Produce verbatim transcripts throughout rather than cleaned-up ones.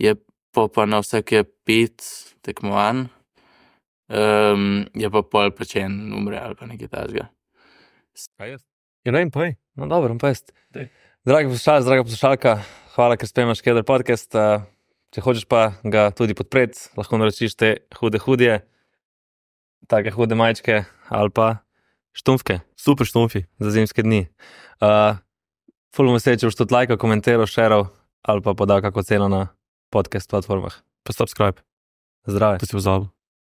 je pa, pa na vsake pet tekmovanj, um, je pa pol plačen umre ali pa nekaj takega. Kaj jaz? Ja, ne vem, povej. No, dobro, pa jaz. Daj. Dragi poslušalci, draga poslušalka, hvala, ker spremljaš Keder podcast. Uh, če hočeš pa ga tudi podpreti, lahko naročiš te hude hudje, take hude majčke ali pa štumfke, super štumfi za zimske dni. Uh, ful bom vesel, če boš tudi lajkal, komentiral, šeral ali pa podal kako ceno na podcast platformah. Pa subscribe, Zdrave. to si pozabil.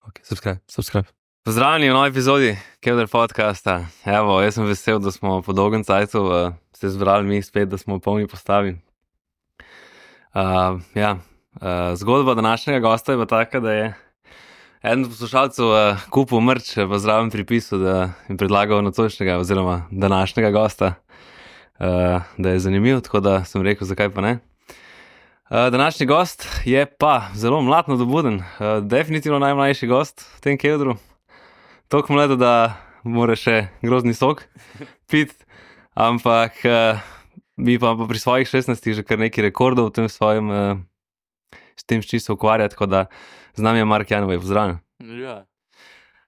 Ok, subscribe. Subscribe. Pozdravljeni v novi epizodi Keder podcasta. Evo, jaz sem vesel, da smo po dolgem cajtu uh, se zbrali mi spet, da smo v polni postavi. Uh, ja, uh, zgodba današnjega gosta je pa taka, da je eden od poslušalcev uh, kupil mrč v zdravem pripisu, da jim predlagal nocojšnjega oziroma današnjega gosta, uh, da je zanimiv, tako da sem rekel, zakaj pa ne. Uh, današnji gost je pa zelo mlad nadobuden, uh, definitivno najmlajši gost v tem kedru. Toliko mlado, da mora še grozni sok piti, ampak uh, mi pa, pa pri svojih šestnajstih že kar nekaj rekordov v tem svojem, uh, s tem šči se ukvarja, tako da z nami je Mark Janovej, pozdravljen. Ja.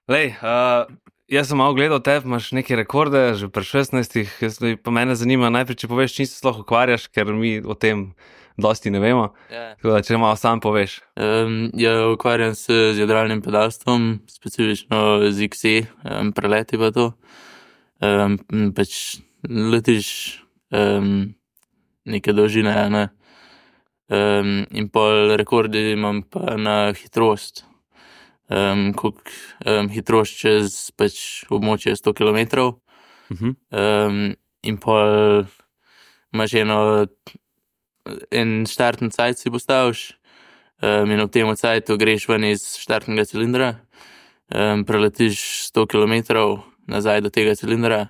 Lej, uh, jaz sem malo gledal tebe, imaš neke rekorde že pri šestnajstih, jaz, pa mene zanima najprej, če poveš, čim se sploh ukvarjaš, ker mi o tem dosti ne vemo, Ja. tako da če malo sam poveš. Um, ja, ukvarjam se z jadralnim pedalstvom, specifično z X C, um, preleti pa to. Um, pač letiš um, neke dolžine, ne. Um, in pol rekordi imam pa na hitrost. Um, kolik, um, hitrost čez pač območje sto kilometrov. Uh-huh. Um, in pol imaš eno, en štartni cajt si postaviš, um, in v tem cajtu greš ven iz štartnega cilindra, um, preletiš sto kilometrov nazaj do tega cilindra,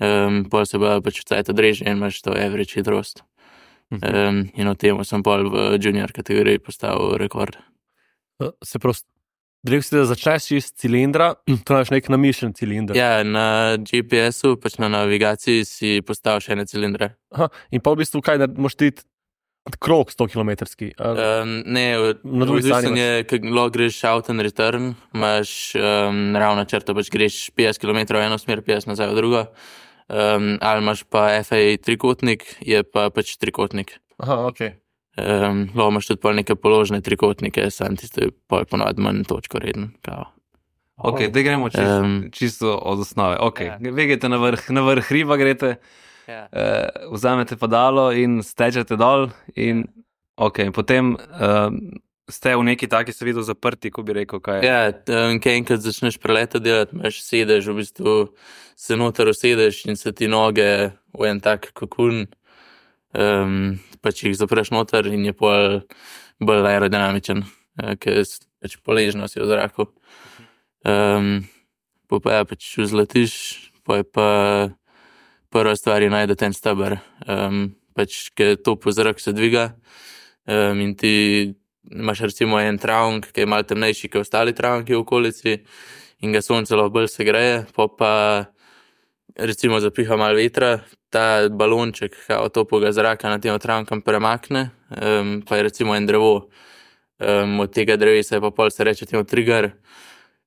um, pol se pa pač v cajt odreže in imaš to average hitrost. Um, in v tem sem pol v junior kategoriji postavil rekord. Se pravi, rekel si, da začneš iz cilindra, to imaš nek namišljen cilinder. Ja, na G P S-u, pač na navigaciji si postaviš ene cilindre. Aha, in pa v bistvu kaj, da moraš iti krog sto kilometrski. Um, ne, Na drugi strani odvisno je, kako greš out and return, imaš um, ravno črto, pač greš petdeset kilometrov v eno smer, petdeset nazaj v drugo, um, ali imaš pa F A trikotnik, je pa pač trikotnik. Aha, ok. Um, lahko imaš tudi pol neke položne trikotnike, sam tisto je pol ponovadi manj točko reden. Kao. Ok, da gremo čisto, Um, čisto od osnove. Ok, Ja. vi greste na vrh, na vrh hriba greste, Ja. uh, vzamete padalo in stečete dol in ok, in potem uh, ste v neki taki se videl zaprti, ko bi rekel, kaj je. Ja, um, kaj enkrat začneš preleta delati, imaš sedež, v bistvu se noter usedeš in se ti noge v en tak kokun, um, pač jih zapreš noter in je pol bolj aerodinamičen, uh, ker je pač poležno si v zraku. Um, po pa ja, pač vzletiš, pa je pa prva stvar je najdete en steber, um, pač ker to po zrak se dviga, um, in ti imaš recimo en travnik, ki je malo temnejši kot ostali travniki v okolici in ga sonce lahko bolj segreje, pa pa recimo zapiha malo vetra, ta balonček kao toplega zraka na tem travnikom premakne, um, pa je recimo en drevo, um, od tega drevesa je pa pol se reče temu trigger,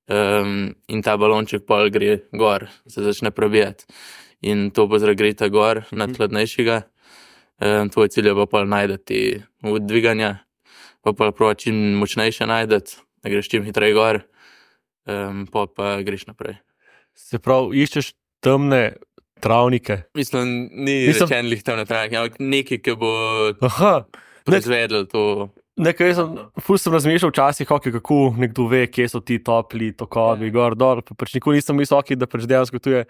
um, in ta balonček pol gre gor, se začne probijati in to bo zragreta gor nad hladnejšega, um, tvoj cilj je pa pol najdeti v dviganja, pa pa prova čim močnejše najdeti, da greš čim hitreje gor, um, pa pa greš naprej. Se pravi, iščeš temne travnike. Mislim, ni Mislim- rečen lih temne travnike, ampak nekaj, ki bo Aha, proizvedel to. nekaj jaz sem, ful sem razmišljal včasih, okay, kako nekdo ve, kje so ti topli tokovi, Ja. gor, dol, pa pač nikoli nisem mislil, okay, da pač dejansko tu je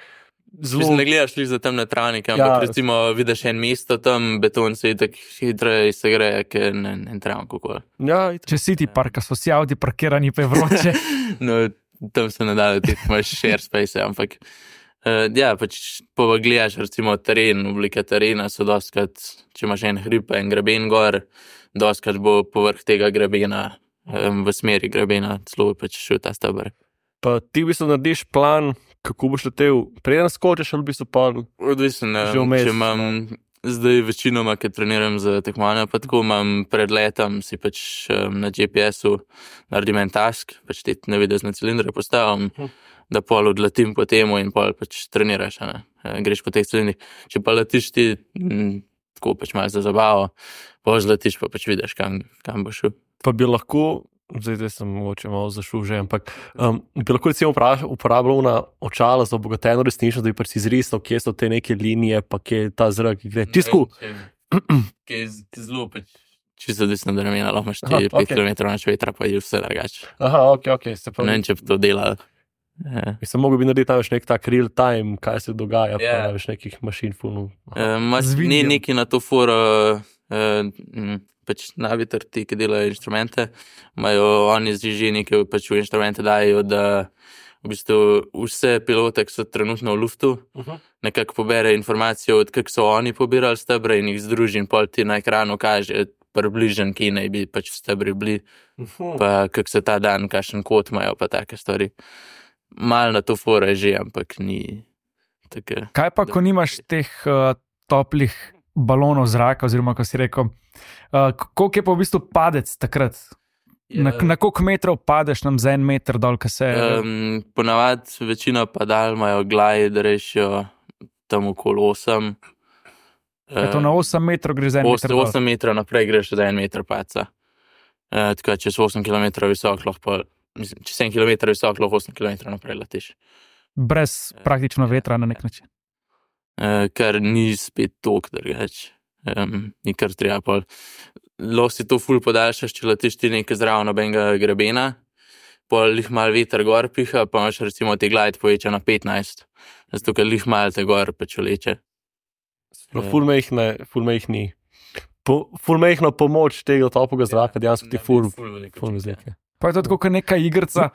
zelo... Mislim, ne gledaš lih za temne travnike, ampak Ja. recimo vidiš en mesto tam, beton se tako hitreje segreje, ker en, en travnik okoli. Ja, itak. Če si ti parka, so si avdi parkirani, pa je vroče. No, tam se ne da leteti, imaš share space, ampak uh, ja, pač pa gledaš recimo teren, oblike terena so dostkrat, če imaš en hrib pa en greben gor, dostkrat bo povrh tega grebena, um, v smeri grebena, celo pač šel ta steber. Pa ti v bistvu narediš plan, kako boš letel, preden skočiš, ali v bistvu pa... Odvisno, Že vmes, če imam Zdaj večinoma, ker treniram za tekmovanja, pa tako imam pred letom, si pač um, na G P S-u naredim en task, pač te navidezne cilindre postavim, da pol odletim po temu in pol pač treniraš, ne? Greš po teh cilindrih. Če pa letiš ti m, tako pač malo za zabavo, pa zletiš pa pač vidiš, kam, kam boš šel. Pa bi lahko, zdaj, zdaj sem mogoče malo zašel že, ampak um, bi lahko recimo uporabljal na očala za obogateno resnično, da bi pač izrisal, kje so te neke linije, pa kje je ta zrak, ki gre. Čisto. Kje je zelo pač čisto desno, da ramena, lahko imaš ti pet kilometrov nač vetra, pa je vse drugače. Aha, ok, ok. Se pravi. Ne vem, če bi to delal. Yeah. Mislim, mogo bi narediti tam nek tak real time, kaj se dogaja, Yeah. pa več nekih mašin funov. Uh, ni neki na to foro, uh, pač naviter ti, ki delajo inštrumente, imajo oni zžižini, ki pač v inštrumente dajo, da v bistvu vse pilote, ki so trenutno v luftu, uh-huh. nekako pobere informacijo, od kak so oni pobirali stebre in jih združi in pol ti na ekranu kaže približen, ki naj bi pač v stebri bili, uh-huh. pa kak se ta dan, kakšen kot imajo, pa take stvari. Mal na to foro je že, ampak ni tako. Kaj pa, ko nimaš teh uh, toplih balonov zraka, oziroma, ko si rekel, uh, koliko je pa v bistvu padec takrat? Ja. Na, na koliko metrov padeš nam za en meter dol, kaj se... Um, ponavad večina padal imajo glide, da rešijo tam okoli osem. Je to na osem metrov gre za en meter dol? osem metrov naprej greš za en meter paca. Uh, tako, če si osem kilometrov visok, lahko pa Mislim, če sedem kilometrov visok, lahko osem kilometrov naprej letiš. Brez praktično vetra na nek način. Uh, kar ni spet tok drugač. Um, ni kar treba pol. Lahko si to ful podaljšaš, če letiš ti nekaj zraven nobenega grebena, pol lih mal veter gor piha, pa imaš recimo te glide poveča na petnajst. Zato, ker lih mal te gor pač leče. Uh. Ful mehne, ful mehni. Po, ful mehno pomoč tega toplega zraka, dejansko ti ful, ful mezlike. Pa je to tako, kot neka igrica,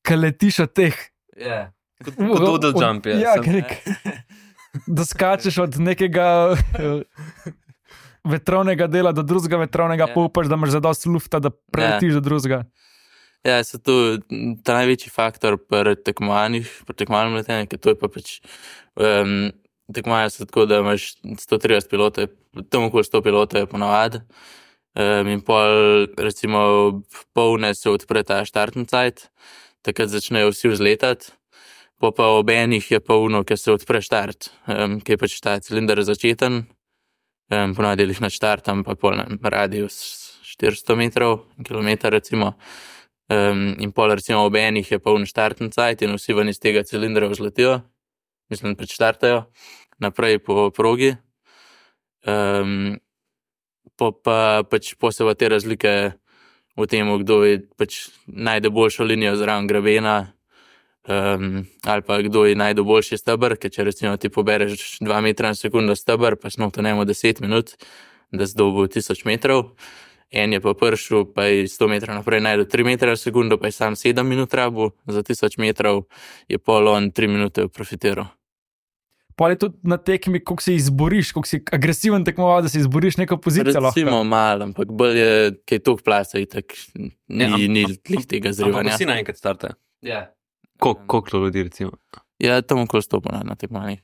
ki letiš od teh. Ja, kot doodle jump, je. Ja, nek, da skačeš od nekega vetrovnega dela do drugega vetrovnega, pa upaš, da imaš zadost lufta, da preletiš do drugega. Ja, so to ta največji faktor pri tekmovanjih, pri tekmovanjem letenja, ker to je pa pač um, tekmovanja so tako, da imaš sto trideset pilotov, tam okoli sto pilotov je ponavad. Um, in pol, recimo, polne se odpre ta štartni cajt, takrat začnejo vsi vzletati, po pa ob enih je polno, ker se odpre štart, um, ki je pač ta cilinder začeten, um, ponavadi jih načtartam, pa pol na radius štiristo metrov, kilometer recimo, um, in pol recimo ob enih je poln štartni cajt in vsi ven iz tega cilindra vzletijo, mislim, pač štartajo, naprej po progi. Um, Po pa pač posebej te razlike v tem, kdo je pač najde boljšo linijo zraven grebena, um, ali pa kdo je najde boljši steber, ker če recimo ti pobereš dva metra na sekundo steber, pa smo to nemo deset minut, da zdobo tisoč metrov, en je pa pršel, pa je sto metrov naprej najde tri metre na sekundo, pa je sam sedem minut rabu, za tisoč metrov je pol on tri minute profitiral. Pa je tudi na tekmi, koliko se izboriš, koliko si agresiven tekmoval, da si izboriš neko pozicijo. Recimo malo, ampak bolj je, kaj tok plasa itak, ni, ja, ni lih tega zrivanja. Ampak vsi naenkrat startajo. Ja. Koliko ljudi recimo? Ja, tam okoli sto na tekmovanjih.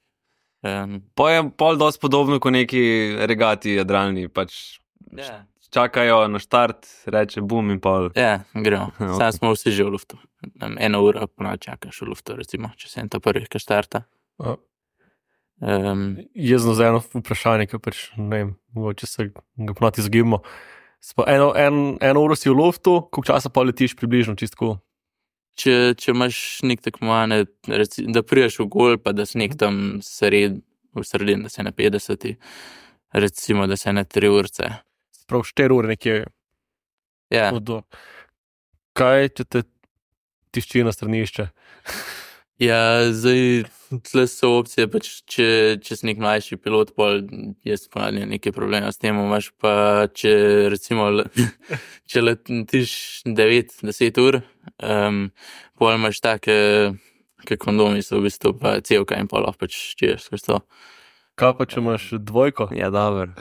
Um, pa je pol dosti podobno kot neki regati jadralni, pač ja. Čakajo na štart, reče bum in pol. Ja, gremo. Okay. Sam smo vsi že v luftu. Eno uro ponad čakaš v luftu, recimo, če se en to prvih, ki štarta. Uh. Um, Jaz znam za eno vprašanje, ki pač ne vem, mogoče se ga ponati izgibamo. Eno, en, eno uro si v luftu, koliko časa pa letiš približno, čistko? Če, če imaš nek tekmovanje, da priješ v gol, pa da si nek tam sred, v sredin, da se na petdeset, recimo, da se na tri urce. Prav štiri ure nekje. Ja. Odor. Kaj, če te tišči na stranišče? Ja, zdaj, tle so opcije, pač, če, če si nek mlajši pilot, pol jaz ponavljam nekaj problema s tem, imaš pa, če recimo, če letiš devet do deset ur, um, pol imaš take, ke kondomi so v bistvu pa cevka in pol lahko pač čiješ skozi to. Kaj pa, če imaš dvojko? Ja, dober.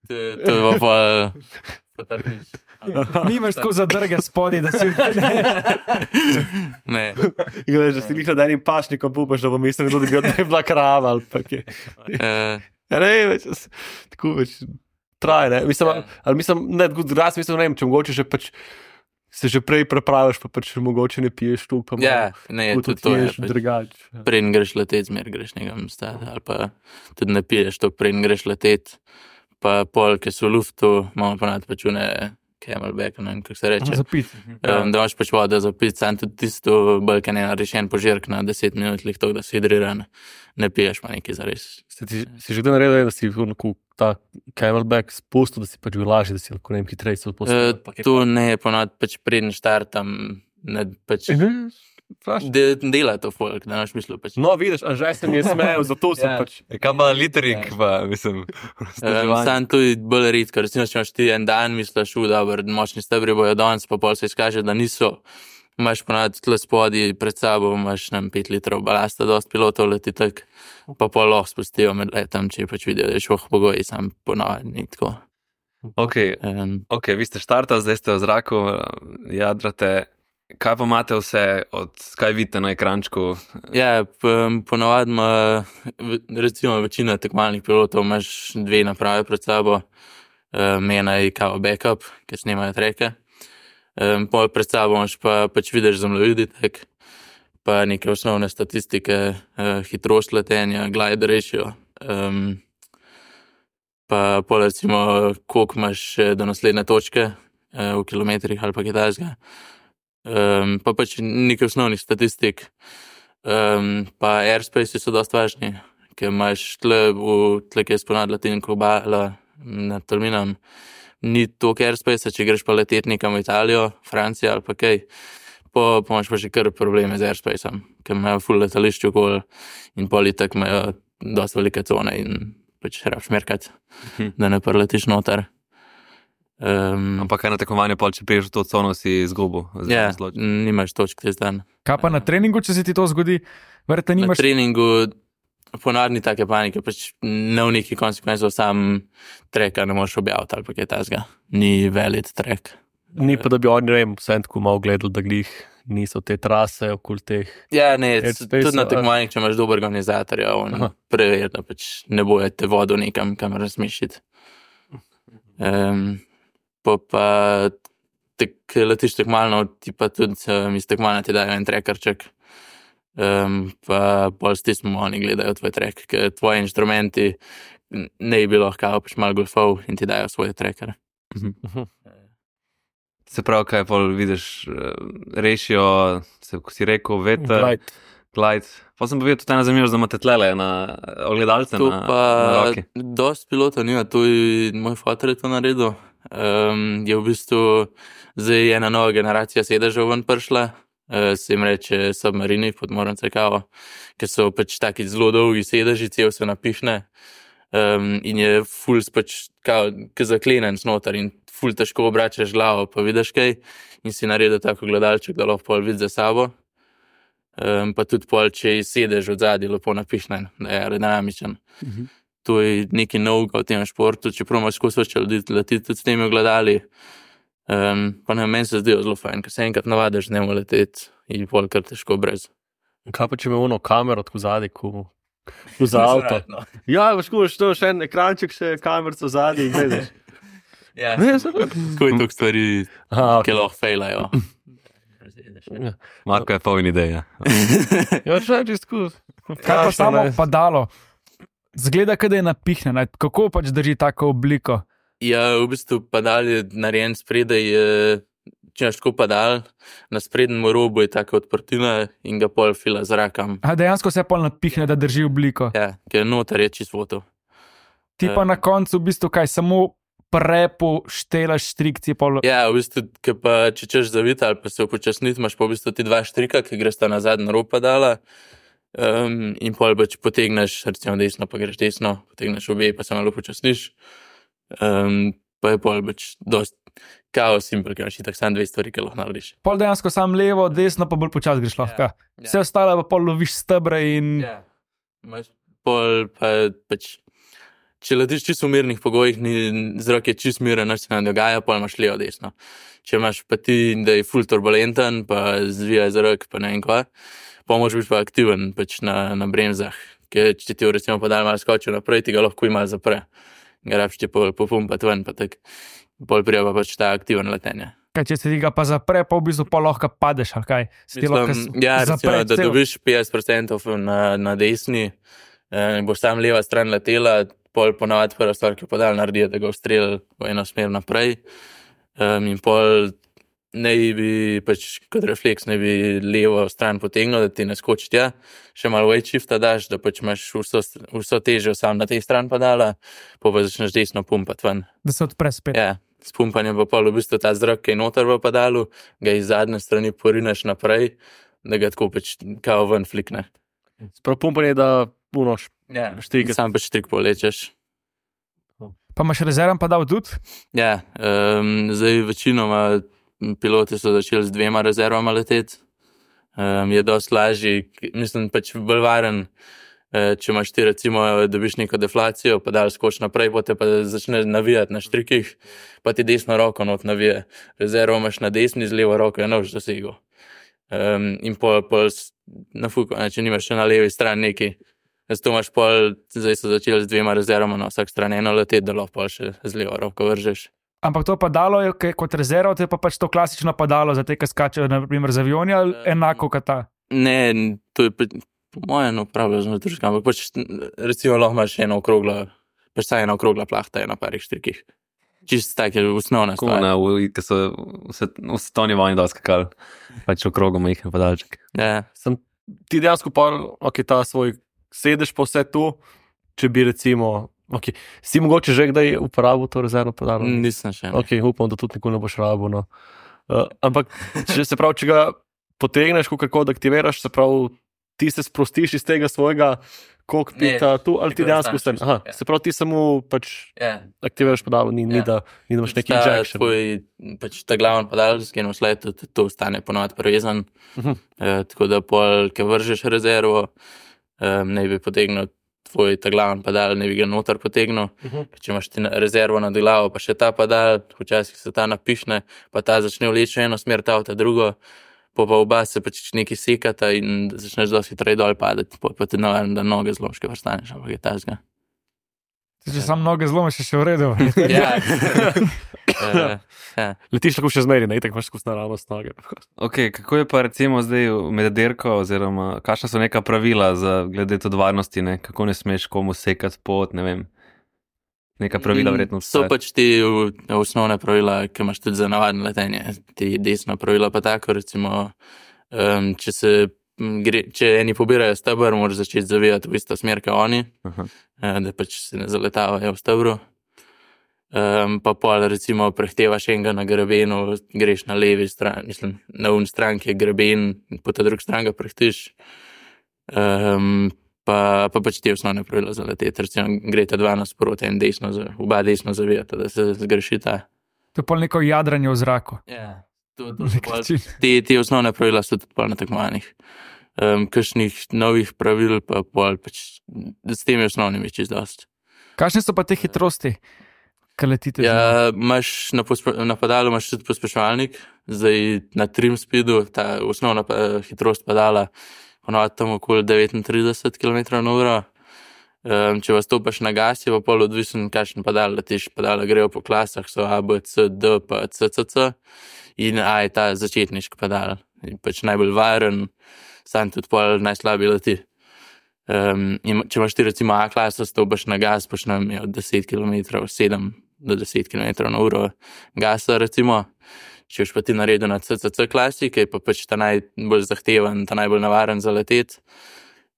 To, to je pa pa Nimaš tako zadrge spodaj, da si ne. Gledaj, že si lih nad enim pašnikom pupaš, da bo mislil, da bi bila krava ali pa kje. Uh, Ja, ne, več, tako več traje, ne. Mislim, Ja. ali mislim, ne, tako drugače, mislim, ne vem, če mogoče že pač se že prej prepraviš, pa pač mogoče ne piješ tu, pa Ja, ne, malo tudi to je. potuješ Pač, drugače. Ja. preden greš letet, zmer greš nekam stati, ali pa tudi ne piješ to, preden greš letet. Pa pol, ki so v luftu, imamo ponad pač une camelback, ne vem, kako se reče. Zapit. Um, da imaš pač vodo za pit, sam tudi tisto, bolj kaj ne narešen požirk na deset minut, lih to, da si hidriran, ne piješ pa nekaj zares. Si, ti- si že kdaj naredil, da si onako ta camelback spustil, da si pač bil lažji, da si lahko ne vem hitreje se Uh, odpustil? tu ne, ponad pač preden štartam, ne, pač Vprašaj. de, dela to folk, da imaš mislu pač. No, vidiš, a že se mi je smejal, zato sem Ja. pač. E, kaj pa litering, pa mislim. Um, sam tu je bolj redko, recimo, če imaš ti en dan, misliš, v dobro, močni stebri bojo danes, pa pol se izkaže, da niso. Imaš ponad tle spodaj pred sabo, imaš nam pet litrov balasta, dost pilotov leti tak, pa pol lahko spustijo med letom, če pač vidijo, da je šoh pogoji, sam ponavadi tako. Ok, Um, ok, vi ste štartali, zdaj ste v zraku, jadrate. Kaj pa imate vse, od kaj vidite na ekrančku? ja, p- ponavadi ima, v- recimo večina tekmovalnih pilotov, imaš dve naprave pred sabo, um, ena je kao backup, ki snimajo treke. Um, pol pred sabo imaš pa pač vidiš zemljevidi tek, pa neke osnovne statistike, uh, hitrost letenja, glide ratio, um, pa pol recimo, koliko imaš še do naslednje točke uh, v kilometrih ali pa kaj takega. Um, pa pač nekaj osnovnih statistik. Um, pa airspace so dosti važni, ker imaš tle, v, tle kjer je sponad latinko obala nad Tolminom, ni toliko airspace, če greš pa letet nekam v Italijo, Francijo ali pa kaj, po, pa imaš pa že kar probleme z airspaceom, ker imajo full letališče okoli in pol itak imajo dosti velike cone in pač rabiš merkat, Mhm. da ne preletiš noter. Um, Ampak kaj na tekmovanju, pol, če priješ v to cono, si izgubil. ja, Zločil. nimaš točk te dan. Kaj pa na treningu, če se ti to zgodi, verjetno Na nimaš. treningu ponavadi take panike, pač ne v neki konsekvenci, sam treka ne moreš objaviti ali pa kaj tasga. Ni velik trek. Ni pa, da bi oni, ne vem, vsem tako malo gledali, da glih niso te trase okoli teh. Ja, ne, Airspace, tudi na a- tekmovanjih, če imaš dober organizatorja, on Aha. preveri, da pač ne boje te vodo nekam, kamor razmišljati. Um, pa pa tek, letiš tekmalno, ti pa tudi um, iz tekmovanja ti dajo en trekerček, um, pa pol s tistim oni gledajo tvoj trek, ker tvoji inštrumenti n- ne bi bilo lahko pač malo golfov in ti dajo svoje trekere. Se pravi, kaj pol vidiš, eh, rešijo, se, ko si rekel, veter, Right. glide. Pa sem pa videl tudi ena zanimivost, da imate tlele na ogledalce To na, pa na roki. dosti pilotov nima, to je moj fotor je to naredil. Um, je v bistvu zdaj ena nova generacija sedežev ven prišla, uh, se jim reče submarini, podmornice kao, ker so pač taki zelo dolgi sedeži, cel se napihne um, in je ful pač kao, ke zaklenen snotar in ful težko obračaš glavo, pa vidiš kaj in si naredil tako gledalček, da lahko pol vidi za sabo. Um, pa tudi pol, če je sedež od zadaj lepo napihnen, da je aerodinamičen. Mhm. To je nekaj novega v tem športu, čeprav imaš skozi več ljudi leteti tudi s temi ogledali. Um, pa ne, meni se zdijo zelo fajn, ker se enkrat navadiš z njim leteti in pol kar težko brez. Kaj pa če ima ono kamero tako zadaj, ko ko za avto? Ja, veš, ko imaš to še en ekranček, še kamerico zadaj in gledaš. Ja, Ne, sem- tako je toliko stvari, Aha, ki okay. lahko fejlajo. Marko je poln ideja. Ja, če čisto tako. Kaj pa samo padalo? Zgleda, da je napihnjeno. Kako pač drži tako obliko? Ja, v bistvu padal je narejen spredaj, je, če imaš tako padal, na sprednjem robu je taka odprtina in ga pol fila z rakam. A dejansko se pol napihne, da drži obliko. Ja, ker noter je čisto voto. Ti pa na koncu v bistvu kaj, samo prepu štelaš štrikci. Pol... Ja, v bistvu, ke pa če češ zaviti ali pa se upočasniti, imaš pa v bistvu ti dva štrika, ki greš ta na zadnji rob padala. Um, in pol pač potegneš, recimo desno, pa greš desno, potegneš obe, pa se malo upočasniš. Um, pa je pol pač dost kao simpel, ker imaš itak samo dve stvari, ki lahko narediš. pol dejansko sam levo, desno, pa bolj počasi greš lahko. Ja. Vse ostalo pa pol loviš stebre in Ja. Imaš pol pa pač, če letiš čisto v mirnih pogojih, ni, zrak je čisto miren, nič se ne dogaja, pol imaš levo, desno. Če imaš pa ti, da je full turbulenten, pa zvija zrak, pa ne vem kva, pa moraš biti pa aktiven pač na, na bremzah, ker če ti recimo padal malo skočil naprej, ti ga lahko malo zapre. Ga rabiš ti pol popumpati ven, pa tak, pol prija pa pač ta aktiven letenje. Kaj, če se ti ga pa zapre, pa v bistvu pa lahko padeš, ali kaj? Se ti lahko s- Ja, recimo, zapre da cel- dobiš petdeset procentov na, na desni, eh, boš tam leva stran letela, pol ponavadi prva stvar, ki podal naredi, da ga ustreli v eno smer naprej. Um, in pol ne bi, pač kot refleks, ne bi levo stran potegnil, da ti ne skoči tja, še malo weight shifta daš, da pač imaš vso, vso težo sam na tej stran padala, pa pa začneš desno pumpati ven. Da se odpre spet. Ja, s pumpanjem pa pol v bistvu ta zrak, ki je noter v padalu, ga iz zadnje strani porineš naprej, da ga tako pač kao ven flikne. Sprav pumpanje, da unoš. Ja, Štrik. sam pač trik polečeš. Pa imaš rezerven padal tudi? Ja, um, zdaj večinoma piloti so začeli z dvema rezervama leteti. Um, je dosti lažji, k- mislim pač bolj varen, eh, če imaš ti recimo, dobiš neko deflacijo, pa dal skoč naprej, potem pa začneš navijati na štrikih, pa ti desno roko not navije. Rezervo imaš na desni, z levo roko je nož dosegel. Um, in pol, pol s- na fuku, ne, če nimaš še na levi strani neki. Zato imaš pol, zdaj so začeli z dvema rezervama na vsak stran eno leteti, da lahko pol še z levo roko vržeš. Ampak to padalo je ke- kot rezerva, to je pa pač to klasično padalo za te, ki skačejo na primer z avioni, ali Um, enako kot ta. Ne, n- to je pa, po mojem, no, pravijo zelo družka, ampak pač n- recimo lahko imaš eno okroglo, pač saj ena okrogla plahta je na parih štrikih. Čist tak je osnovna Tako stvar. na, v- ki so vse, v svetovni vojni dosti skakali, pač okrogom jih je podaljček. Ja, Sem ti dejansko pa, ok, ta svoj sedež pa vse tu, če bi recimo, ok, si mogoče že kdaj uporabil to rezervno padalo? nisem še. ne. Ok, upam, da tudi nikoli ne boš rabil. No. Uh, ampak, če se pravi, če ga potegneš, kako da aktiviraš, se pravi, ti se sprostiš iz tega svojega kokpita Ne, tu, ali ti tako dejansko ostaneš vse. Aha, ja. se pravi, ti samo pač Ja. aktiviraš padalo, ni, ni, Ja. da, ni da imaš neki Ta injection. tvoj, pač ta glaven padalski nosled, tudi to ostane ponovadi prevezan. Mhm. Eh, tako da pol, ko vržeš rezervo, um, ne bi potegnil tvoj ta glaven padal, ne bi ga noter potegnil. Mhm. Če imaš ti na- rezervo nad glavo, pa še ta padal, včasih se ta napišne, pa ta začne vleči v eno smer, ta v ta drugo, pa pa oba se pač nekaj sekata in začneš dosti hitreje dol padati, pa, pa ti navadno, da noge zlomške vrstaneš, ampak je tasga. Če sam noge zlomiš, je še v redu. Ja. uh, ja. Letiš lahko še zmeri, ne, tako imaš skozi naravnost noge. Okay, kako je pa recimo zdaj med dirko, oziroma kakšna so neka pravila za glede tudi varnosti, ne? Kako ne smeš komu sekati pot, ne vem. Neka pravila verjetno So obstajajo. pač ti v- osnovne pravila, ki imaš tudi za navadno letenje. Ti desna pravila pa tako, recimo, um, če se m, gre, če eni pobirajo steber, moraš začeti zavijati v isto smer, kot oni, Aha. eh, da pač se ne zaletavajo v stebru. Um, pa pol recimo prehtevaš enega na grebenu, greš na levi strani, mislim, na un stran, ki je greben, po ta drugi strani ga prehtiš. Um, pa, pa pač ti osnovne pravila za leteti, recimo greste dva nasproti, en desno, za- oba desno zavijata, da se zgrešita. To je pol neko jadranje v zraku. Ja, to, to Na so nek pol, način. te, te osnovne pravila so tudi pol na tekmovanjih. Um, kakšnih novih pravil pa pol pač s temi osnovnimi čist dosti. Kakšne so pa te hitrosti, ki letite? z njimi? Ja, imaš na, pospe, na padalu imaš tudi pospeševalnik, zdaj na trim speedu, ta osnovna pa, hitrost padala, ponovadi tam okoli devetintrideset kilometrov na uro. Um, če vas stopiš na gas, je pa pol odvisen, kakšen padal letiš. Padala grejo po klasah, so A, B, C, D, pa C, C, C. In A je ta začetniški padal. In pač najbolj varen, sam tudi pol najslabši leti. Um, in če imaš ti recimo A klaso, stopiš na gas, počnem je od deset kilometrov, sedem do deset kilometrov na uro gasa recimo. Če boš pa ti naredil na C C C klasi, ki je pa pač ta najbolj zahteven, ta najbolj navaren za letet,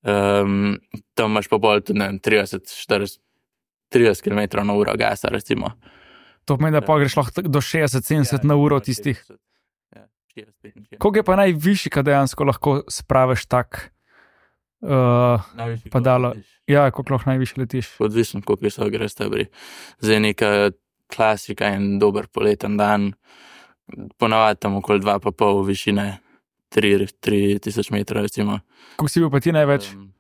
um, tam imaš pa bolj tudi ne vem, trideset, štirideset, trideset kilometrov na uro gasa recimo. To pomeni, da pa greš lahko do šestdeset sedemdeset na uro tistih. Ja, šestdeset, petinšestdeset. Koliko je pa najvišji, kad dejansko lahko spraviš tak? Uh, Najvišji padalo. koliko letiš? ja, koliko lahko najvišje letiš? Odvisno, koliko so gre stebri. Zdaj neka klasika in dober poleten dan, ponavadi tam okoli dva pa pol višine, tri, tri tisoč metrov recimo. Koliko si bil pa ti največ? Um,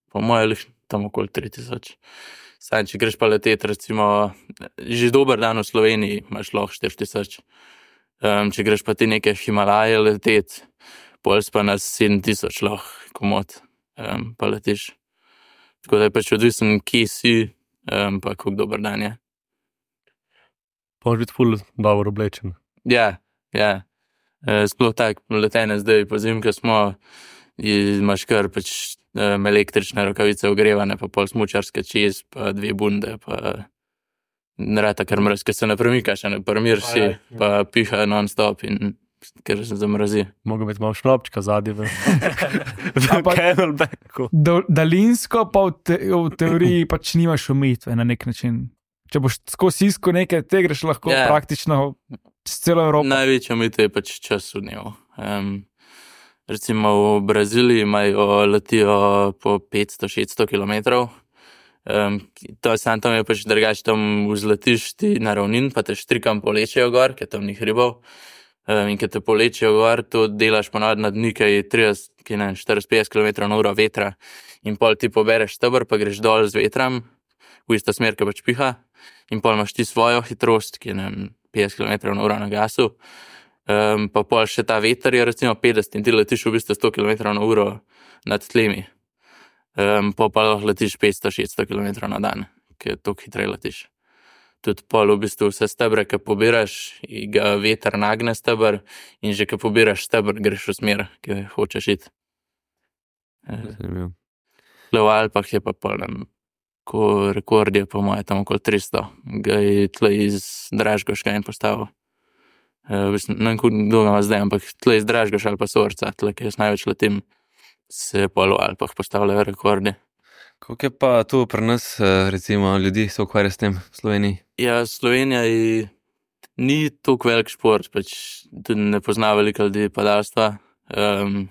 po mojem, tam okoli tri tisoč. Saj, če greš pa leteti, recimo, že dober dan v Sloveniji imaš lahko štiri tisoč. Um, če greš pa ti neke Himalaje leteti, pol pa na sedem tisoč lahko komod um, pa letiš. Tako da je pač odvisen, kje si, um, pa kako dober dan je. Pa moraš biti ful dobro oblečen. Ja, ja. Uh, sploh tak letenje zdaj po zimke smo, imaš kar pač um, električne rokavice ogrevane, pa pol smučarske čez, pa dve bunde, pa narata kar mraz, ker se ne premikaš, ne premir si, pa piha non-stop in ker se zamrazi. Mogo biti malo šnopčka zadnji v, v camelbacku. Do, daljinsko pa v, te, v teoriji pač nimaš umitve na nek način. Če boš skozi isko nekaj, te greš lahko Ja. praktično s celo Evropo. Največja omejitev je pač čas v dnevu. Um, recimo v Braziliji imajo letijo po petsto šeststo kilometrov. Um, to sam tam je pač drugače, tam vzletiš ti na ravnin, pa te štrikam polečejo gor, ker tam ni hribov. Um, in ker te polečejo gor, to delaš ponavadi na dni, ki je trideset, ki ne, štirideset petdeset kilometrov na uro vetra. In pol ti pobereš stebr, pa greš dol z vetram, v isto smer, ki pač piha. In pol imaš ti svojo hitrost, ki je ne, petdeset kilometrov na uro na gasu. Um, pa pol še ta veter je recimo petdeset in ti letiš v bistvu sto kilometrov na uro nad tlemi. Um, pa pa lahko letiš petsto šeststo kilometrov na dan, ker toliko hitreje letiš. Tudi pol v bistvu vse stebre, ki pobiraš, ga veter nagne stebr in že, ki pobiraš stebr, greš v smer, ki hočeš iti. Zanimivo. Tle v Alpah je pa pol, ne, ko rekord je po moje tam okoli tristo, ga je tle iz Dražgoška en postavil. Uh, ne vem, kako dolgo ima zdaj, ampak tle iz Dražgoša ali pa Sorca, tle, ki jaz največ letim, se pol v Alpah postavljajo rekordi. Koliko je pa tu pri nas, recimo, ljudi se ukvarja s tem v Sloveniji? Ja, Slovenija je, ni toliko velik šport, pač tudi ne pozna veliko ljudi padalstva. Um,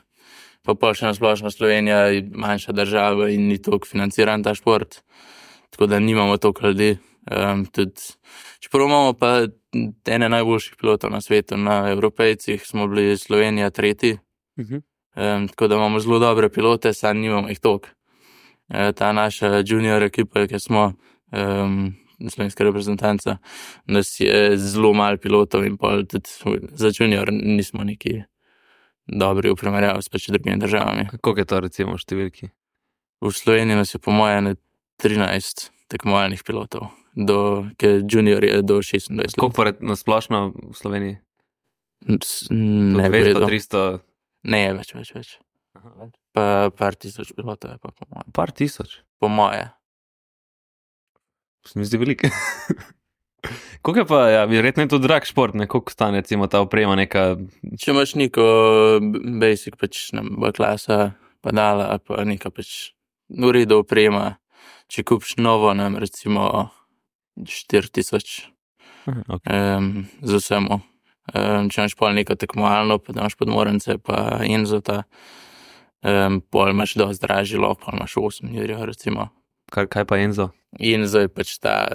pa pol še na splošno Slovenija je manjša država in ni toliko financiran ta šport, tako da nimamo toliko ljudi. Um, tudi, čeprav imamo pa ene najboljših pilotov na svetu, na Evropejcih smo bili Slovenija tretji, Uh-huh. um, tako da imamo zelo dobre pilote, samo nimamo jih toliko. Uh, ta naša junior ekipa, ki smo um, slovenska reprezentanca, nas je zelo malo pilotov in pol tudi za junior nismo neki dobri v primerjavi s pač drugimi državami. Koliko je to recimo v številki? V Sloveniji nas je po moje ne trinajst tekmovalnih pilotov, do, ker junior je do šestindvajset let. Koliko pa re- na splošno v Sloveniji? S- Ne dvesto, vedo. tristo, Ne, več, več, več. Pa par tisoč pilotov je pa po moje. par tisoč. Po moje. Se mi zdi veliko. Koliko je pa, ja, verjetno je to drag šport, ne? Koliko stane recimo ta oprema neka? Če imaš neko basic, pač ne, B klasa, padala, ali pa neka pač v redu oprema, če kupiš novo, ne, recimo štiri tisoč Aha, okay. um, z vsemu. Um, če imaš pol neko tekmovalno, pa da imaš podmorence, pa Enzota, um, pol imaš dosti dražji lov, pol imaš osem jurjev, recimo. Kaj, kaj pa Enzo? Enzo je pač ta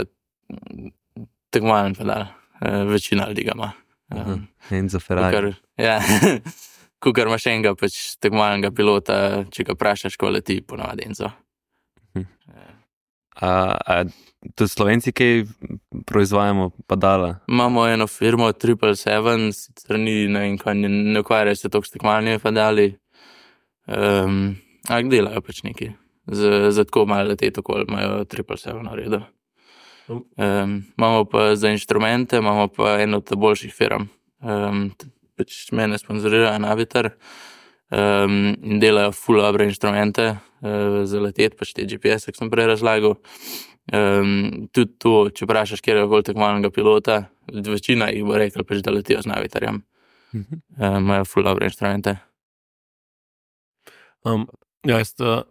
mm, tekmovalen pedal, uh, večina ljudi ga ima. Aha, Um, Enzo Ferrari. Kukar, ja, kukar imaš enega pač tekmovalnega pilota, če ga vprašaš, ko leti, ponavadi Enzo. A, a tudi Slovenci, kaj proizvajamo padala? Imamo eno firmo, Triple Seven, sicer ni, ne vem, kaj, ne, ne ukvarjajo se toliko s tekmovalnimi pedali, um, ampak delajo pač neki. Za, za tako malo letet okoli imajo Triple Seven v redu. Um, imamo pa za inštrumente, imamo pa eno od boljših firm. Um, pač mene sponzorirajo Navitar um, in delajo ful dobre inštrumente uh, za letet, pač te G P S, ki sem prej razlagal. Um, tudi to, če vprašaš kjerkoli tekmovalnega pilota, večina jih bo rekel, pač, da letijo z Navitarjem. Mhm. Um, imajo ful dobre inštrumente. Um, ja, jaz, uh,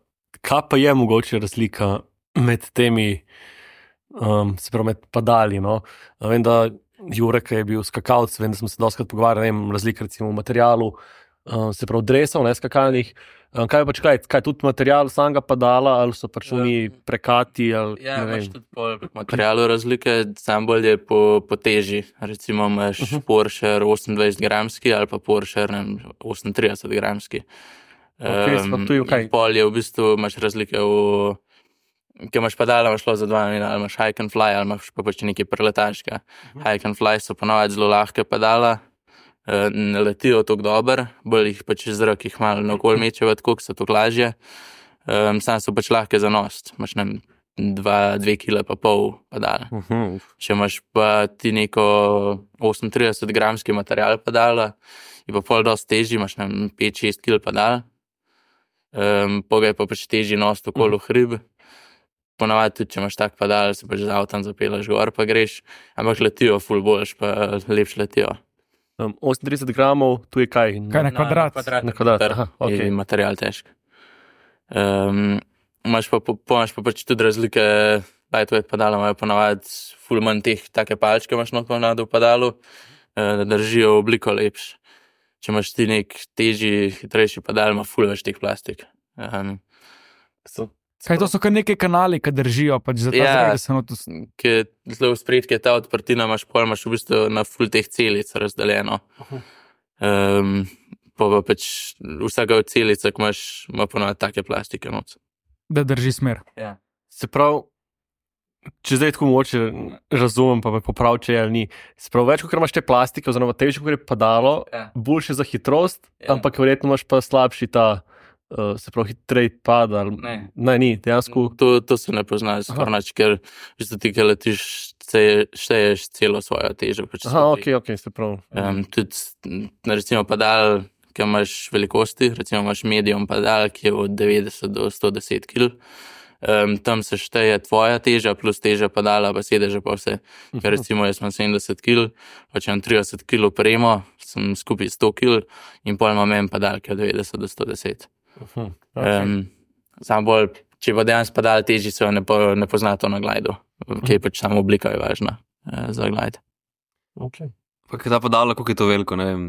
kaj pa je mogoče razlika med temi, um, se pravi, med padali? No? A vem, da Jure, ki je bil skakalc, vem, da smo se doskrat pogovarjali, ne vem, razlika recimo v materialu, um, se pravi, dresov, ne skakalnih. Um, kaj je pač kaj, kaj tudi material samega padala, ali so pač oni prekati, ali Ja, ne imaš vem. tudi po materialu razlike, sam bolj je po, po teži. Recimo imaš uh -huh. Porsche osemindvajset gramski ali pa Porsche ne vem, osemintrideset gramski. Okej, Em, pa tu je in kaj? pol je v bistvu, imaš razlike v, ker imaš padala, imaš šlo za dva namena, ali imaš hike and fly, ali imaš pa pač nekaj preletaška. Uh -huh. Hike and fly so ponavadi zelo lahke padala, eh, ne letijo tako dobro, bolj jih pač iz zrak jih malo naokoli mečejo, tako so to lažje. Um, sam so pač lahke za nost, imaš ne, dva, dve kila pa pol padala. Uh -huh. Če imaš pa ti neko osemintrideset gramski material padala, je pa pol dosti težji, imaš ne, pet šest kil padala. Um, Poga je pa pač težji nost okolo hrib. Ponavadi tudi, če imaš tak padal, se pač z avtom zapelaš gor pa greš, ampak letijo ful boljš, pa lepš letijo. Um, osemintrideset gramov, tu je kaj? Kaj na kvadrat? Na kvadrat, meter aha, okej. je material težk. Um, imaš pa, po, imaš pa pač tudi razlike, lightweight padala imajo ponavadi ful manj teh take palčke, imaš not ponavadi v padalu, uh, da držijo obliko lepš. Če imaš ti nek težji, hitrejši padal, ima ful več teh plastik. Um, So, Kaj to so kar neke kanali, ki držijo, pač za ta Ja. zrak, da se not... ki je zelo v spredju, ki je ta odprtina, imaš pol, imaš v bistvu na ful teh celic razdeljeno. Um, pa pa pač vsaka od celic, ki imaš, ima ponavadi take plastike noc. da drži smer. Ja. se pravi, če zdaj tako moče razumem, pa me popravi, če je ali ni. Se pravi, več, kot imaš te plastike, oziroma težje, kot je padalo, Ja. boljše za hitrost, Ja. ampak verjetno imaš pa slabši ta, uh, se pravi, hitrej pada. ali- Ne. ne, ni, dejansko. To, to se ne pozna, skoraj nič, ker v bistvu ti, ki letiš, se- šteješ celo svojo težo. Pač Aha, stopni. ok, ok, se pravi. Um, tudi, m, recimo, padal, ki imaš velikosti, recimo imaš medium padal, ki je od devetdeset do sto deset kil. Um, tam se šteje tvoja teža, plus teža padala, pa sedeže pa vse. Ker recimo jaz imam sedemdeset kil, pa če imam trideset kil opremo, sem skupaj sto kil in pol imam en padal, ki je od devetdeset do sto deset. Uh-huh. Okay. Um, Sam bolj, če pa dejansko padal težji, se jo ne, po, ne pozna to na glajdu, ki je pač samo oblika je važna uh, za glajd. Okay. Pa kaj ta padala, koliko je to veliko, ne vem,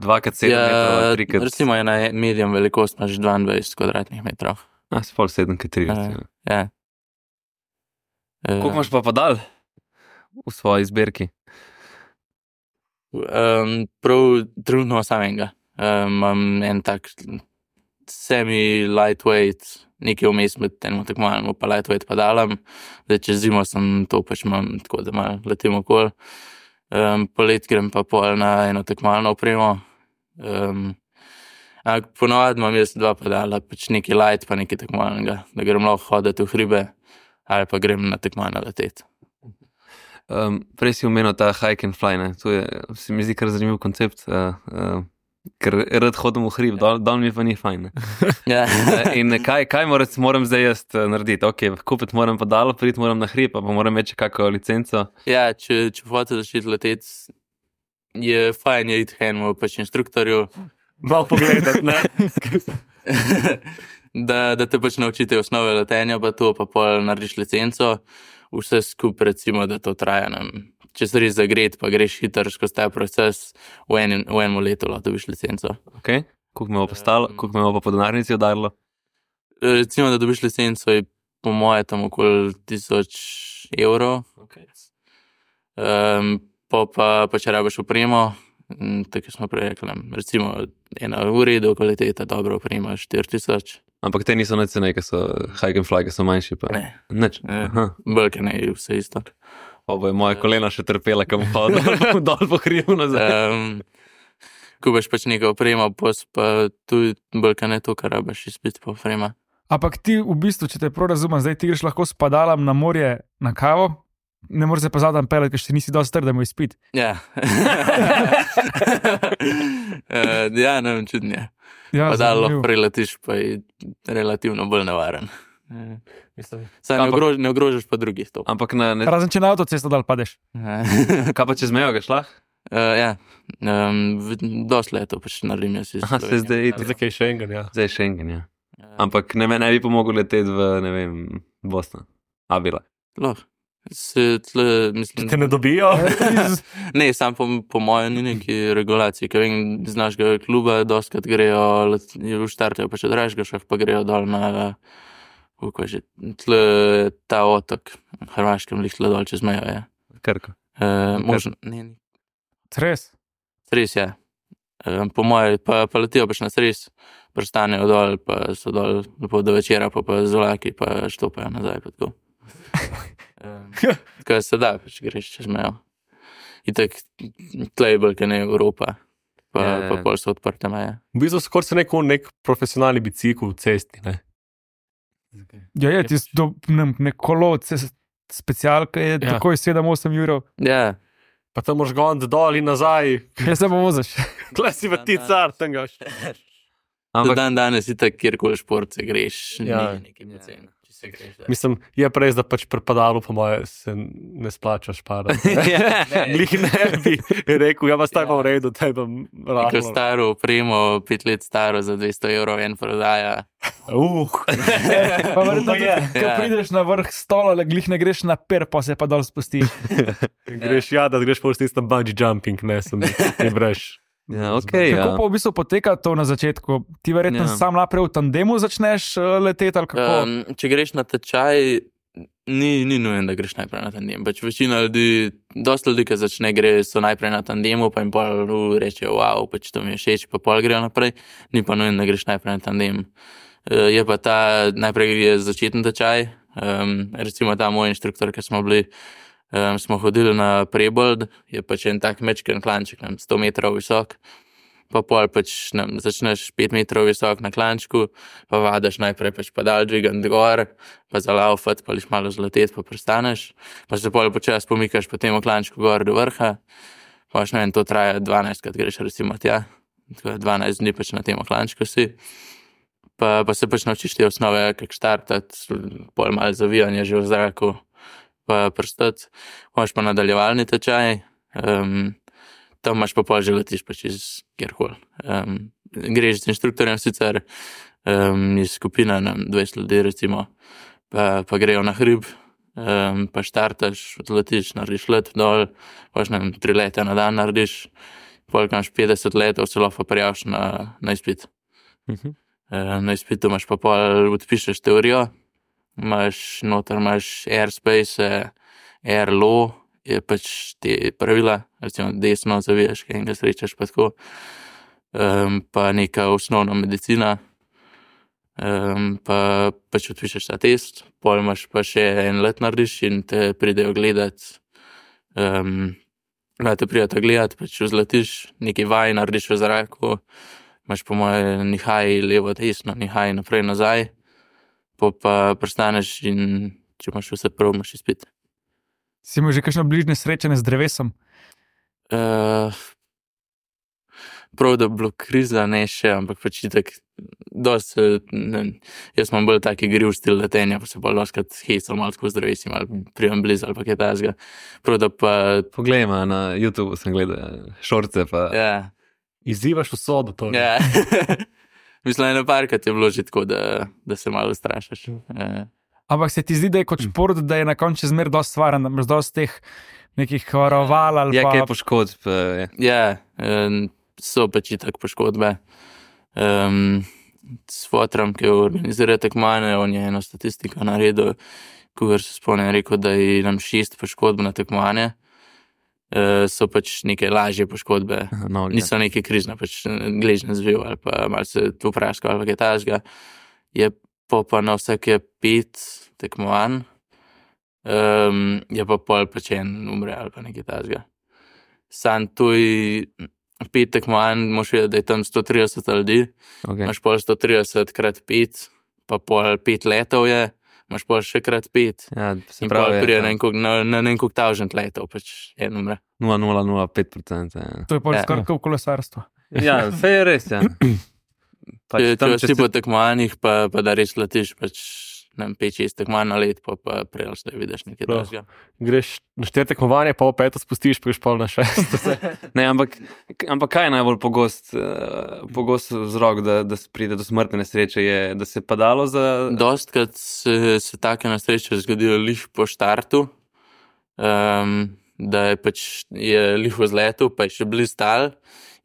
dva krat sedem metrov, tri krat... recimo je na medium velikost, imaš dvaindvajset kvadratnih metrov. A, se pol sedem krat trideset. Uh, ja. Koliko imaš pa padal v svoji zbirki? Um, prav trenutno samega. Um, imam en tak semi-lightweight, nekaj vmes med enim tekmovalnim pa lightweight padalom. Zdaj čez zimo sem to pač imam tako, da malo letim okoli. Um, polet grem pa pol na eno tekmovalno opremo. Um, ampak ponovadi imam jaz dva padala, pač nekaj light pa nekaj tekmovalnega, da grem lahko hoditi v hribe ali pa grem na tekmovanje leteti. Um, prej si omenil ta hike and fly, ne? To je, se mi zdi kar zanimiv koncept, uh, uh, ker rad hodim v hrib, dol, dol mi pa ni fajn. Ne? Ja. Uh, in kaj, kaj moram, moram zdaj jaz uh, narediti? Ok, kupiti moram padalo, priti moram na hrib, pa moram imeti še kakšno licenco. Ja, če, če hočete začeti leteti, je fajn je iti k enemu pač inštruktorju, Malo pogledati, ne? da, da te pač naučite osnove letenja, pa to, pa pol narediš licenco, vse skupaj recimo, da to traja nam. Če se res zagret, pa greš hiter skozi ta proces, v, en, v enem letu lahko dobiš licenco. Ok, koliko me bo pa stalo, koliko me bo pa po denarnici udarilo? Recimo, da dobiš licenco, je po moje tam okoli tisoč evrov. Okay. Um, pa, pa, pa če rabiš opremo, m, tako smo prej rekli, recimo ena v redu kvaliteta, dobro oprema, štiri tisoč. Ampak te niso nič cenej, ki so hike and fly, ki so manjši pa. Ne. Nič. Ne. Aha. Belke ne, vse isto. Pa bo je moje kolena še trpela, kam hodil dol po hribu nazaj. Um, Kubaš pač neko opremo, pos pa tudi belke ne to, kar rabiš izpiti po oprema. Ampak ti v bistvu, če te prav razumem, zdaj ti greš lahko s padalom na morje na kavo, ne moreš se pa zadam pelati, ker še nisi dosti trd, da mu izpit. Ja. uh, ja, ne vem, čudno je. Ja, Pa da lahko zanimivo. preletiš, pa je relativno bolj nevaren. Uh, Mislim, Saj ne, Ampak- ogrož, ne ogrožaš pa drugih to. Ampak na, ne, Razen če na avtocesto dal padeš. Uh, kaj pa čez mejo ga šlah? ja, um, dosti leto pač naredim jaz iz Aha, se Slovenije. zdaj, zdaj kaj še enega, ja. zdaj je Schengen, ja. Ja. Ampak ne, ne bi pomogel leteti v, ne vem, Bosna. A bila. Lahko. Se tle, mislim, Te ne dobijo? ne, sam po, po mojem ni neki regulaciji, ker vem, z našega kluba dostkrat grejo, let- v štartajo pa še dražga šah, pa grejo dol na, kako je že, tle ta otok, v Hrvaškem, lih tle dol čez mejo, je. Krko. Uh, možno, ne, ne, Res. res je. Uh, po moje, pa, pa letijo pač na stres, pristanejo dol, pa so dol lepo do večera, pa pa z vlaki, pa štopajo nazaj, pa tako. Um, Kaj se da, pač greš čez mejo. Itak, tle je bolj, kaj ne Evropa, pa, Ja, ja. pa pol so odprte meje. V bistvu skoraj se neko nek profesionalni bicikl v cesti, ne? Ja, je, tisto, do- ne, ne kolo, ce- specialka je Ja. takoj sedem osem jurov. Ja, Pa tam moraš goniti dol in nazaj. Jaz se pa voziš. Kle si v ti car, tam gaš. ampak Ampak dan danes si tak, kjerkoli šport se greš, Ja. ni neki poceni. Če se greš, da. Mislim, je pa res, da pač pri padalu, po moje, se ne splača šparati. Glih ne bi rekel, ja, vas taj pa v redu, taj pa Neko rahlo. staro opremo, pet let staro za dvesto evrov en prodaja. Uh, Pa verjetno, je. ko Ja. prideš na vrh stola, le glih ne greš na per, pa se pa dol spustiš. greš, ja, da greš pa v tisto bungee jumping, ne, sem ne breš. ja, okay, Kako ja. pa v bistvu poteka to na začetku? Ti verjetno Ja. sam naprej v tandemu začneš uh, leteti ali kako? Um, če greš na tečaj, ni, ni nujen, da greš najprej na tandem. Pač večina ljudi, dosta ljudi, ki začne gre, so najprej na tandemu, pa jim pol uh, rečejo, wow, pač to mi je všeč, pa pol grejo naprej. Ni pa nujen, da greš najprej na tandem. Uh, je pa ta, najprej je začetni tečaj. Um, recimo ta moj inštruktor, ki smo bili, um, smo hodili na Prebold, je pač en tak mečken klanček, ne, sto metrov visok. Pa pol pač ne, začneš pet metrov visok na klančku, pa vadaš najprej pač padal dvigant gor, pa zalaufat, pa liš malo zletet, pa prestaneš, pa se pol počas pomikaš po tem klančku gor do vrha, pa še ne vem, to traja dvanajst, krat greš recimo tja, tako dvanajst dni pač na tem klančku si, pa, pa se pač naučiš te osnove, kak štartati, pol malo zavijanja že v zraku, pa prstati, imaš pa nadaljevalni tečaj, um, tam imaš pa pol že letiš pač iz kjerkoli. Um, greš z inštruktorjem sicer, um, iz skupine, ne vem, dvajset ljudi recimo, pa, pa grejo na hrib, um, pa štartaš, odletiš, narediš let dol, pa ne vem, tri leta na dan narediš, pol ko imaš petdeset letov, se lahko prijaviš na, na izpit. Mhm. Uh, na izpitu imaš pa pol, odpišeš teorijo, imaš noter imaš airspace, air law, je pač te pravila, recimo desno zavijaš, kaj enega srečaš pa tako, um, pa neka osnovna medicina, um, pa pač odpišeš ta test, pol imaš pa še en let narediš in te pridejo gledat, um, da te pridejo gledat, pač vzletiš, nekaj vaj narediš v zraku, imaš po moje nihaj levo, desno, nihaj naprej, nazaj, po pa prestaneš in če imaš vse prav, imaš izpit. Si imel že kakšno bližnje srečanje z drevesom? Uh, prav, da bi bilo kriza, ne še, ampak pač itak, dosti, ne, jaz imam bolj taki griv stil letenja, pa se bolj doskrat hecam malo tako z drevesim, ali prijem blizu, ali pa kaj tasga. Prav, da pa, Poglej, ma, na YouTubu sem gledal šorce, pa ja, Izzivaš usodo, to. ja. Mislim, eno parkrat je bilo že tako, da, da se malo strašaš. Ja. Ampak se ti zdi, da je kot šport, da je na koncu zmer dosti stvaren, da imaš dosti teh nekih varoval ali je pa... kaj poškodb. eh, Ja, um, so pač itak poškodbe. Um, s fotrom, ki organizira tekmovanje, on je eno statistiko naredil, ko se spomnim, je rekel, da je nam šest poškodb na tekmovanje. Uh, so pač neke lažje poškodbe, noge. niso neke križne, pač gležne zviv ali pa malo se tu praška ali kaj takega. Je pa, pa na vsake pet tekmovanj, um, je pa pol pač en umre ali pa nekaj takega. Sam tuj pet tekmovanj, moš vedeti, da je tam sto trideset ljudi, Okay. imaš pol sto trideset krat pet, pa pol pet letov je, imaš pol še krat pet. Ja, se In pol pravi, prije je na en koliko- na na en koliko tavžent letov, pač en umre. nula nula nula pet procenta. Ja. To je pa Ja. skoraj kot v kolesarstvu. ja, vse je res. Ja. Pač Če, tam, če če si si- po tekmovanjih, pa, pa da res letiš, pač ne vem, pet, šest tekmovanj na let, pa, pa prej ali vidiš nekaj Prav. drugega. Greš na štiri tekmovanja, pa v peto spustiš, pa greš pol na šest. Ne, ampak, ampak kaj je najbolj pogost, uh, pogost vzrok, da, da se pride do smrtne nesreče? Je, da se je padalo za. Dostkrat se, se take nesreče zgodijo lih po štartu, um, da je pač je lih v zletu, pa je še blizu tal.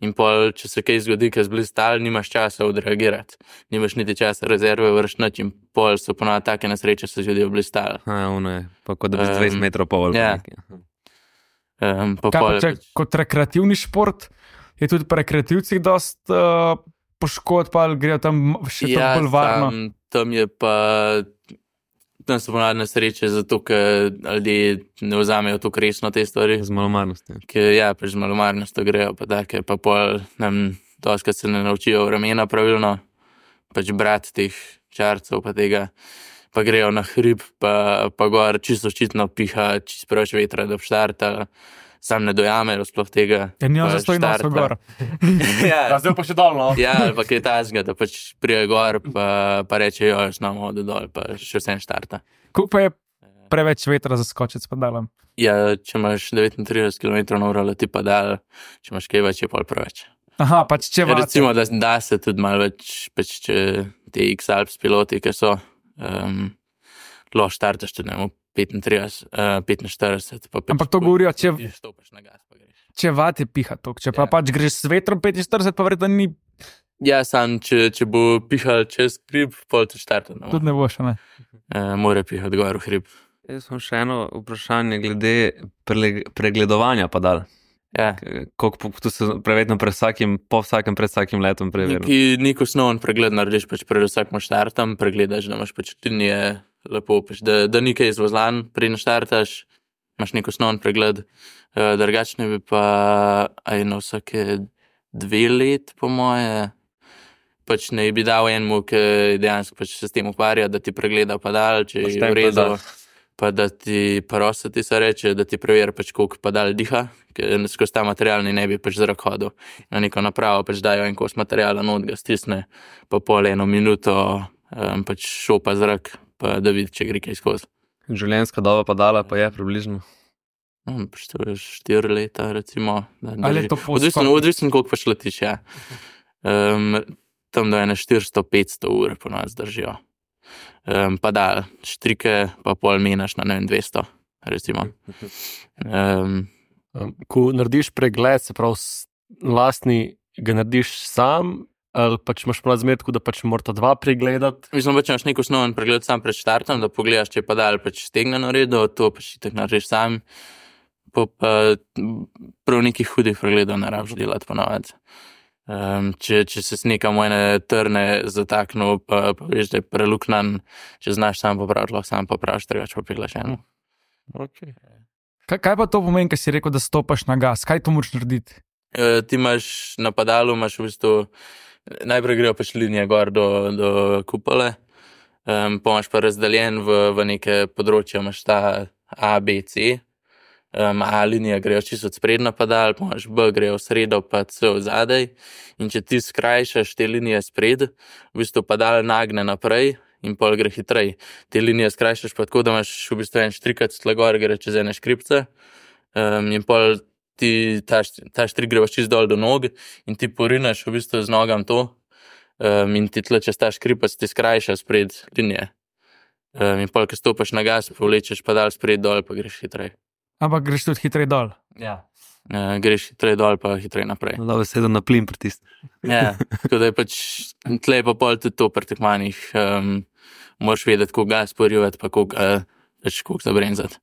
In pol, če se kaj zgodi, ki je blizu tal, nimaš časa odreagirati. Nimaš niti časa rezerve vršiti in pol so ponovno take nesreče se zgodijo blizu tal. A, ono je, pa kot da bi z Em, dvajset metrov pol. ja. Um, pa Kaj pa pol, če, kot rekreativni šport, je tudi pri rekreativcih dosti uh, poškodb, pa ali grejo tam še ja, bolj varno. Tam, tam je pa, tam so ponavadi nesreče, zato ker ljudje ne vzamejo tako resno te stvari. Z malomarnostjo. Ker ja, pač z malomarnostjo grejo, pa take, pa pol, nam doskrat se ne naučijo vremena pravilno, pač brati teh čarcev pa tega. pa grejo na hrib, pa, pa gor čisto očitno piha, čisto preveč vetra, da štarta, sam ne dojamejo sploh tega. Ker nijo pa zastoj noso štarta. gor. Ja, zdaj pa še dolno. ja, ali pa kaj tasga, da pač prije gor, pa, pa reče, jo, jaz nam hodu dol, pa še vsem štarta. Koliko pa je preveč vetra za skočiti s padalom? Ja, če imaš devetintrideset kilometrov na uro leti padal, če imaš kaj več, je pol preveč. Aha, pač če Ja, vate. recimo, da, da se tudi malo več, pač če ti X-Alps piloti, ki so, um, lahko štartaš tudi, ne vem, petintrideset, uh, petinštirideset, pa Ampak to govorijo, če, ti stopiš na gas, pa greš. če vate piha tok, če pa Ja. pač greš s vetrom petinštirideset, pa verjetno ni, Ja, sam, če, če bo pihal čez hrib, pol ti štarta, ne, tudi ne boš, ne. uh, more pihati gor v hrib. Jaz imam še eno vprašanje glede pre, pregledovanja padal. Ja. Koliko tu se prevedno pred vsakim, po vsakem, pred vsakim letom preveril. Neki, nek osnoven pregled narediš pač pred vsakim štartom, pregledaš, da imaš pač linije lepo, pač, da, da ni kaj izvozlan, preden štartaš, imaš nek osnoven pregled, uh, drugačne bi pa aj na vsake dve let, po moje, pač ne bi dal enemu, ki dejansko pač se s tem ukvarja, da ti pregleda padal, če je Pošten v redu, padal. pa da ti parosa ti se reče, da ti preveri pač koliko padal diha, ker skozi ta material ni ne bi pač zrak hodil. Na neko napravo pač dajo en kos materiala, not ga stisne, pa pol eno minuto um, pač šopa zrak, pa da vidi, če gre kaj skozi. Življenjska doba padala pa je približno. Um, pač to je štiri leta, recimo. Da Ali je drži. to po Odvisno, skoku? odvisno, koliko pač letiš, ja. Um, tam do ene štiristo petsto ur po nas držijo. Um, pa da, štrike pa pol menaš na ne vem dvesto, recimo. Um, Um, ko narediš pregled, se pravi, s- lastni ga narediš sam, ali pač imaš razmer, tako da pač morata dva pregledati. Mislim, pač imaš nek osnoven pregled sam pred štartom, da pogledaš, če je padal pač stegne na redu, to pač itak narediš sam. Pa, pa prav nekih hudih pregledov ne rabiš delati ponavadi. Um, če, če se nekam v ene trne zataknil, pa, pa veš, da je preluknan, če znaš sam popraviti, lahko sam popraviš, drugače pa peglaš eno. Okay. Kaj, kaj pa to pomeni, kad si rekel, da stopaš na gas? Kaj to moraš narediti? Uh, ti imaš na padalu, imaš v bistvu, najprej grejo pač linije gor do, do kupole, um, pa imaš pa razdeljen v, v neke področja, imaš ta A, B, C. Um, A linija grejo čisto od sprednja padal, pa imaš B grejo v sredo, pa C v zadej. In če ti skrajšaš te linije spred, v bistvu padal nagne naprej in pol gre hitrej. Te linije skrajšaš pa tako, da imaš v bistvu en štrikac tle gor, gre čez ene škripce. Um, in pol ti ta, št- ta štrik gre čist dol do nog in ti porinaš v bistvu z nogam to um, in ti tle čez ta škripac ti skrajša spred linije. Um, in pol, ko stopaš na gas, povlečeš padal spred dol, pa greš hitrej. Ampak greš tudi hitrej dol. Ja. Uh, greš hitrej dol, pa hitrej naprej. Da bi sedel na plin pritisnil. Ja, tako da je pač tle je pa pol tudi to pri tekmanjih. Um, moraš vedeti, koliko gas porivati, pa koliko, uh, pač koliko zabrenzati.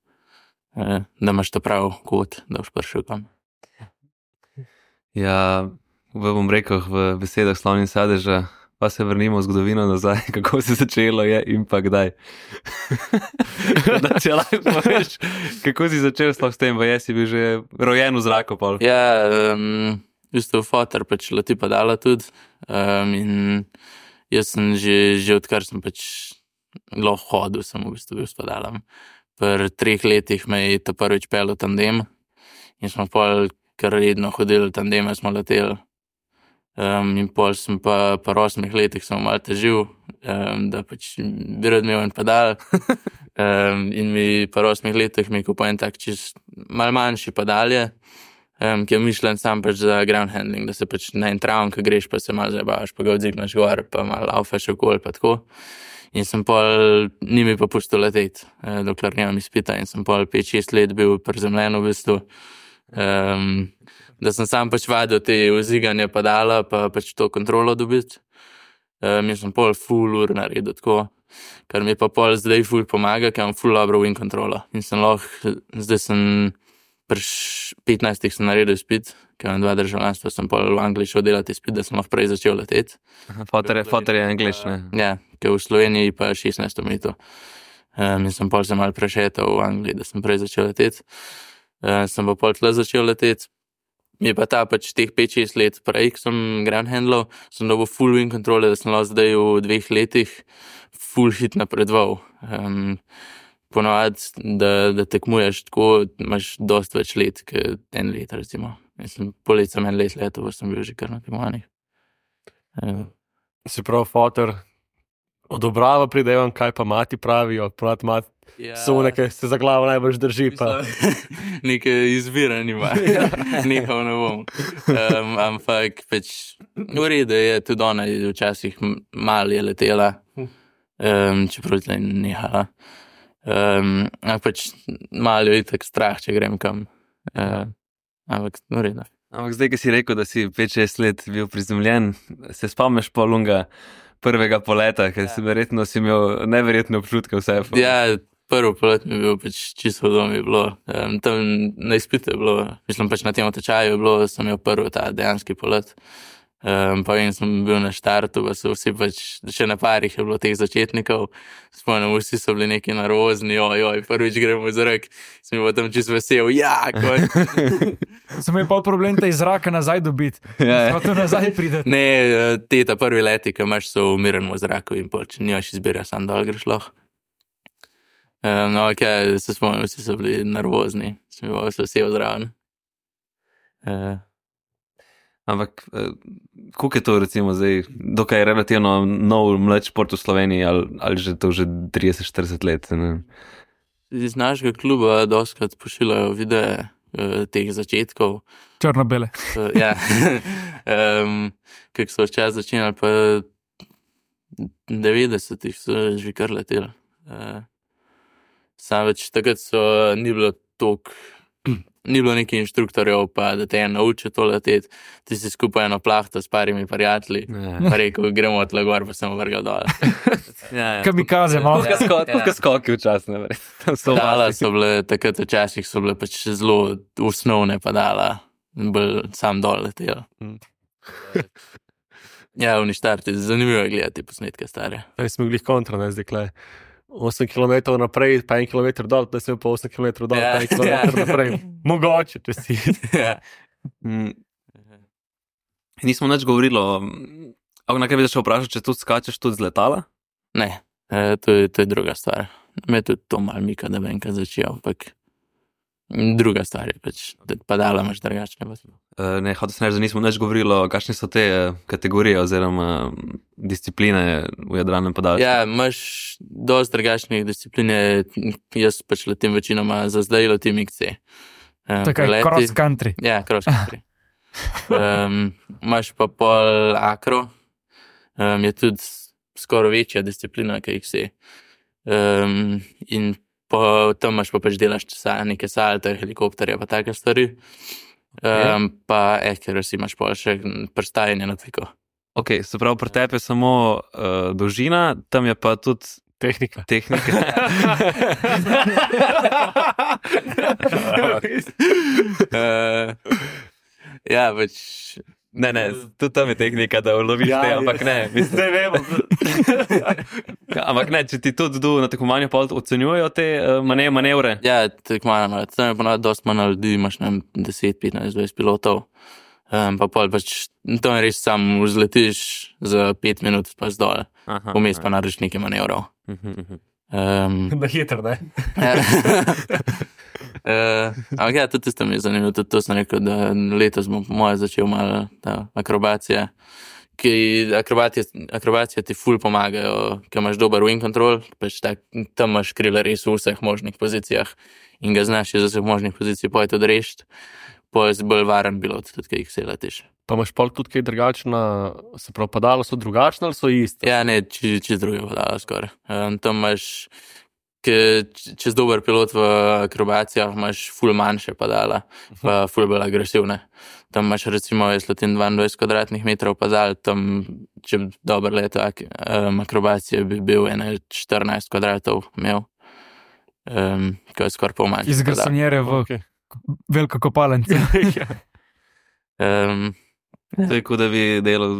Uh, da imaš to prav kot, da boš prišel kam. Ja, v bom rekel v besedah Slavni sadeža, pa se vrnimo v zgodovino nazaj, kako se začelo je in pa kdaj. Da če lahko poveš, kako si začel sploh s tem, pa jaz si bil že rojen v zraku pol. Ja, um, v bistvu fotor pač leti padala tudi. Um, in jaz sem že, že odkar sem pač lahko hodil, sem v bistvu bil s padalom. Pri treh letih me je ta prvič pel v tandem in smo pol kar redno hodili v tandeme, smo leteli. Um, in pol sem pa po osmih letih sem malo težil, um, da pač bi rad imel en padal. um, in mi po osmih letih mi je kupil en tak čist mal manjši padalje, um, ki je mišljen sam pač za ground handling, da se pač na en travn, ko greš, pa se malo zabavaš, pa ga odzigneš gor, pa malo laufaš okoli, pa tako. In sem pol, ni mi pa pustil leteti, eh, dokler nimam izpita in sem pol pet šest let bil prizemljen v bistvu. Um, da sem sam pač vadil te vziganje padala, pa pač to kontrolo dobiti. Um, in sem pol full ur naredil tako, kar mi pa pol zdaj full pomaga, ker imam full dobro win kontrolo. In sem lahko, zdaj sem pri petnajstih sem naredil izpit, ker imam dva državljanstva, sem pol v Angliji šel delati izpit, da sem lahko prej začel leteti. Fotor je, fotor je angliš, ne? Ja, ker v Sloveniji pa šestnajst omejitev. Um, in sem pol se malo prešetal v Angliji, da sem prej začel leteti. Uh, sem pa pol tle začel leteti. Mi je pa ta pač teh pet šest let prej, ko sem ground handlal, sem dobil full wing kontrole, da sem lahko zdaj v dveh letih ful hit napredoval. Um, Ponovadi, da, da tekmuješ tako, imaš dosti več let, kot en let, recimo. Mislim, po let sem en let leto, pa sem bil že kar na tekmovanjih. Um, Se pravi, fotor odobrava pridevam, kaj pa mati pravijo, ponad mati ja, so nekaj, se za glavo najbolj drži. Pa. Neke izbire nima, nekaj ne bom. Um, ampak pač v redu je, tudi ona je včasih malo je letela, um, čeprav tle nehala. Um, ampak pač malo je tako strah, če grem kam. Uh, ampak v redu. Ampak zdaj, ki si rekel, da si pet šest let bil prizemljen, se spomniš po lunga prvega poleta, ker si verjetno si imel neverjetne občutke vse. Ja, prvo polet mi je bil pač čisto v domu je bilo. Um, tam na izpitu je bilo, mislim pač na tem tečaju je bilo, sem imel prvi ta dejanski polet. Um, pa vem, sem bil na štartu, pa so vsi pač, še na parih je bilo teh začetnikov. Spomnim, vsi so bili neki nervozni, oj, oj, prvič gremo iz zrak. Sem bil tam čisto vesel, ja, kot. Sem imel pa problem, da iz zraka nazaj dobiti. Ja, ja. To nazaj pride. Ne, te ta prvi leti, ki imaš so umireno v zraku in pol, če nimaš izbira, sam dol greš lahko. Um, no, ok, se spomnim, vsi so bili nervozni. Sem bil vse vesel zraven. Uh, Ampak, koliko je to recimo zdaj, dokaj je relativno nov mlad šport v Sloveniji ali, ali že to že trideset šestdeset let? Ne? Iz našega kluba doskrat pošiljajo videe uh, teh začetkov. Črno-bele. Uh, ja, um, kako so včas začinali, pa devetdesetih so že kar leteli. Uh, Sam več takrat so, ni bilo toliko, ni bilo nekih inštruktorjev, pa da te je naučil to leteti. Ti si skupaj eno plahto s parimi prijatelji, pa rekel, gremo od gor, pa sem vrgal dol. Ja, ja. Kamikaze, malo. Kot skoki včasih, ne vem. Dala so bile, takrat včasih so bile pač zelo osnovne padala, bolj sam dol letela. Ja, v ništarti, zanimivo je gledati posnetke stare. Zdaj smo bili kontra, ne, zdaj kle. osem kilometrov naprej, pa en kilometr dol, da sem pa osem kilometrov dol, Ja. pa en kilometr naprej. Mogoče, če si. Ja. Mm. Nismo nič govorili o... Ampak nekaj bi začel vprašati, če tudi skačeš tudi z letala? Ne, e, to, je, to je druga stvar. Me tudi to malo mika, da vem, kaj začel, ampak druga stvar je pač, da padala imaš drugačne. Uh, ne, hotel sem reči, da nismo nič govorili o kakšne so te uh, kategorije oziroma um, discipline v jadralnem padalstvu. Ja, imaš dosti drugačnih discipline, jaz pač letim večinoma za zdaj letim X C. Um, Tako je cross country. Ja, cross country. Um, imaš pa pol akro, um, je tudi skoraj večja disciplina, kaj X C. Um, in po, tam imaš pa pač delaš neke salte, helikopterje pa take stvari. Um, okay. Pa accuracy imaš pa še prestajanje na tviko. Ok, se pravi, pri tebi je samo uh, dolžina, tam je pa tudi Tehnika. tehnika. uh, ja, pač... Ne, ne, tudi tam je tehnika, da uloviš Ja, te, je. ampak ne. Mislim, Zdaj vemo. ja, ampak ne, če ti tudi na tekmovanju pol ocenjujejo te uh, mane, manevre. Ja, tako malo, tam je ponovno dosti manj ljudi, imaš ne vem, deset, petnajst, dvajset pilotov. Um, pa pol pač, tam res sam vzletiš za pet minut pa zdol. Aha, Vmes pa narediš nekaj manevrov. Mhm, mhm. Um, Na hitro, ne? ja. uh, ampak ja, tudi tisto mi je zanimivo, tudi to sem rekel, da letos bom po moje začel malo ta akrobacija, ki akrobacija, akrobacija ti ful pomagajo, ker imaš dober wing control, pač tak, tam imaš krila res v vseh možnih pozicijah in ga znaš iz vseh možnih pozicij pojet odrešiti, pojet bolj varen pilot, tudi kaj jih se letiš. Pa imaš pol tudi kaj drugačna, se pravi, padalo so drugačne ali so iste? Ja, ne, čez či druge padala skoraj. Um, tam imaš, ke, čez dober pilot v akrobacijah imaš ful manjše padala, pa ful bolj agresivne. Tam imaš recimo, jaz letim dvaindvajset kvadratnih metrov padal, tam, če bi dober leto ak, um, akrobacije bi bil ene štirinajst kvadratov imel, um, ko je skoraj pol manjše. Iz garsonjere v Okay. veliko kopalnico. Um, To je kot da bi delal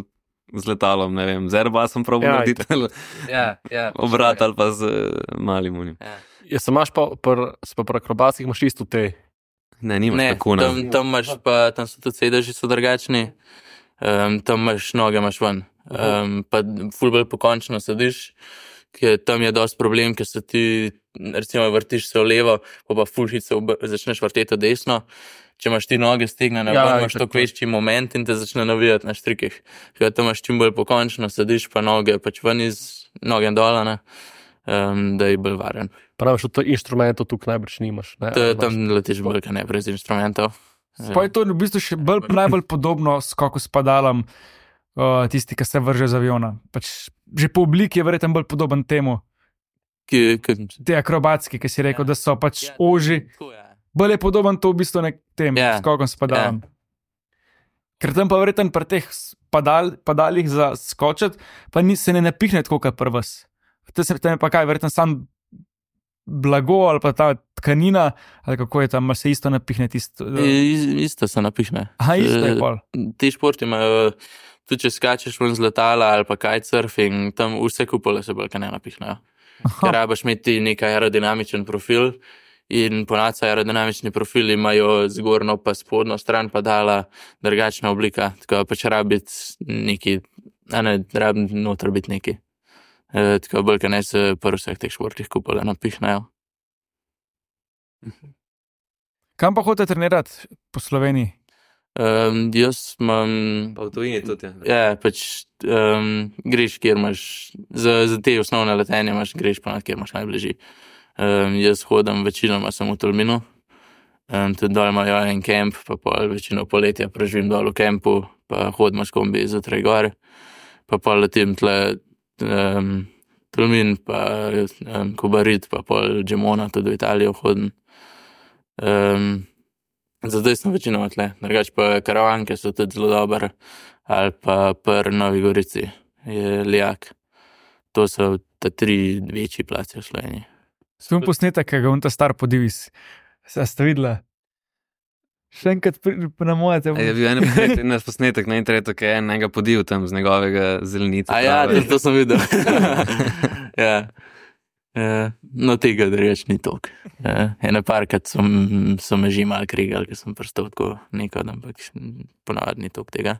z letalom, ne vem, z Airbusom probo Ja, narediti, ali ja, ja. obrat ali pa z uh, malim unim. Ja. Ja, se imaš pa, pr, se pa pri akrobacih imaš isto te. Ne, nimaš Ne, tako na. tam, tam imaš pa, tam so tudi sedeži so drugačni, um, tam imaš noge imaš ven, um, pa ful bolj pokončno sediš, ker tam je dosti problem, ker se ti, recimo, vrtiš se v levo, pa pa ful hitro začneš vrteti v desno. Če imaš ti noge stegnjene, Ja, ja, imaš tako. toliko večji moment in te začne navijati na štrikih. Ker tam imaš čim bolj pokončno, sediš pa noge pač ven iz noge dol, ne, um, da je bolj varen. Praviš, od inštrumentov tukaj najbrž nimaš. Ne? To, tam letiš bolj, kaj ne, brez inštrumentov. Pa je to v bistvu še bolj, najbolj podobno skoku s padalom, uh, tisti, ki se vrže z aviona. Pač, že po obliki je verjetno bolj podoben temu, Ki, ki, te akrobatski, ki si rekel, da so pač Ja, oži. tako je. Bolj je podoben to v bistvu nek tem Ja. skokom s padalom. Ker tam pa verjetno pri teh s- padal, padalih za skočiti, pa ni, se ne napihne tako, kot pri vas. Te se tam je pa kaj, verjetno sam blago ali pa ta tkanina, ali kako je tam, ali se isto napihne tisto. I- Isto se napihne. Aha, isto je Eh, pol. Ti športi imajo, tudi če skačeš ven z letala ali pa kitesurfing, tam vse kupole se bolj kaj ne napihnejo. Ker rabaš imeti nek aerodinamičen profil in ponavadi aerodinamični profili imajo zgornjo pa spodnjo stran padala drugačna oblika, tako pač rabiti neki, a ne, rabi noter biti neki. E, tako bolj, kaj ne se pri vseh teh športih kupole napihnejo. Kam pa hodite trenirati po Sloveniji? Um, jaz imam Pa v tujini tudi. Ja. Ja, pač um, greš, kjer imaš, za, za te osnovne letenje imaš, greš pa na kjer imaš najbližji. Um, jaz hodim večinoma sem v Tolminu, um, tudi dol imajo en kemp, pa pol večino poletja preživim dol v kempu, pa hodim s kombi zjutraj gor, pa pol letim tle um, Tolmin, pa um, Kobarid, pa pol Gemona, tudi v Italijo hodim. Um, Zdaj sem večinoma tle, drugače pa karavanke so tudi zelo dobre, ali pa pri Novi Gorici je Lijak. To so ta tri večji placi v Sloveniji. Svoj posnetek, ki ga unta star podivis. Se ste videla? Še enkrat pri- na moje te. E, je bil en posnetek, en posnetek na internetu, ki je enega podil tam z njegovega zelenica. A ja, to, to sem videl. ja. Ja, no, tega reč ni toliko. Ja, ene parkrat so, m- so me že malo krigali, ker sem prstal tako nekaj, ampak ponavadi ni toliko tega.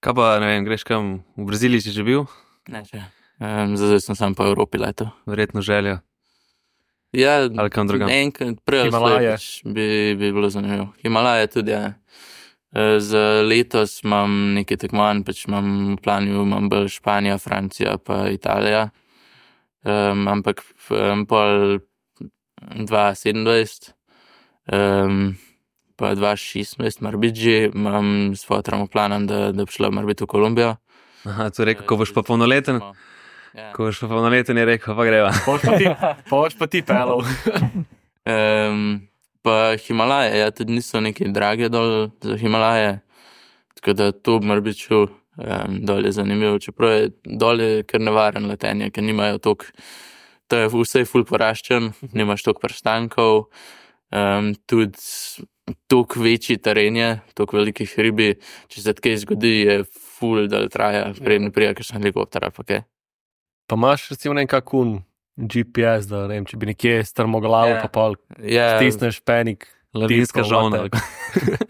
Kaj pa, ne vem, greš kam v Braziliji, si že bil? Ne, če. Um, zdaj sem sam po Evropi leto. Verjetno željo. Ja, Ali kam drugam? enkrat prej ali slej Himalaje. pač bi, bi bilo zanimivo. Himalaje tudi, ja. E, Za letos imam nekaj tekmovanj, pač imam v planu, imam bolj Španija, Francija pa Italija. Um, ampak um, pol dva tisoč sedemnajst um, pa dva tisoč šestnajst, mar biti že, imam s fotom v planu, da, da bi šla mar biti v Kolumbijo. Aha, to je rekel, ko boš pa polnoleten, Ja. ko boš pa polnoleten, je rekel, pa greva. Poš pa ti, poš pa ti pelov. Um, pa Himalaje, ja, tudi niso neki drage dol za Himalaje, tako da to bi mar biti šel, um, dol je zanimivo, čeprav je dol je kar nevaren letenje, ker nimajo toliko, to je vse ful poraščen, nimaš toliko prstankov, um, tudi toliko večji teren je, toliko velikih hribi, če se kaj zgodi, je ful, da traja, preden prija kakšen helikopter ali pa kaj. Pa imaš recimo nekakun G P S, da ne vem, če bi nekje strmoglavo, Ja. pa pol Ja, stisneš penik. Lavinska tipko, žolna. whatever.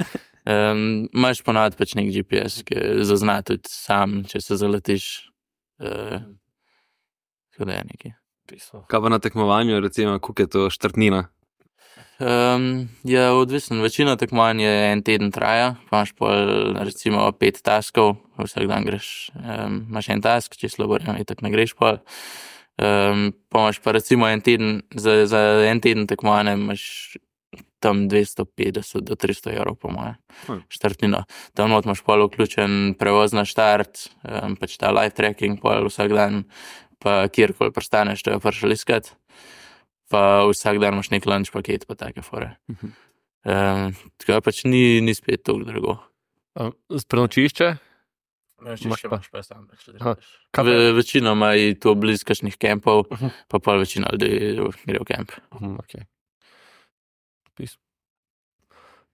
Um, imaš ponavadi pač nek G P S, ki zazna tudi sam, če se zaletiš. Uh, tako da je nekaj. Kaj pa na tekmovanju, recimo, koliko je to štartnina? Um, je odvisen, večina tekmovanj je en teden traja, pa imaš pol recimo pet taskov, vsak dan greš, um, imaš en task, če slabo vreme, tako ne greš pol. Um, pa imaš pa recimo en teden, za, za en teden tekmovanja imaš tam dvesto petdeset do tristo evrov, po moje, Hm. štartnino. Tam not imaš pol vključen prevoz na štart, um, pač ta live tracking pol vsak dan, pa kjerkoli prestaneš, to je prišel iskat. Pa vsak dan imaš nek lunch paket, pa take fore. Mhm. Um, tako da pač ni, ni spet toliko drago. A, Prenočišče? Imaš pa. Aha. Kaj pa- Ve, večinoma je to blizu kakšnih kempov, Mhm. pa pol večina ljudi gre v kemp. Mhm, okej. Pis.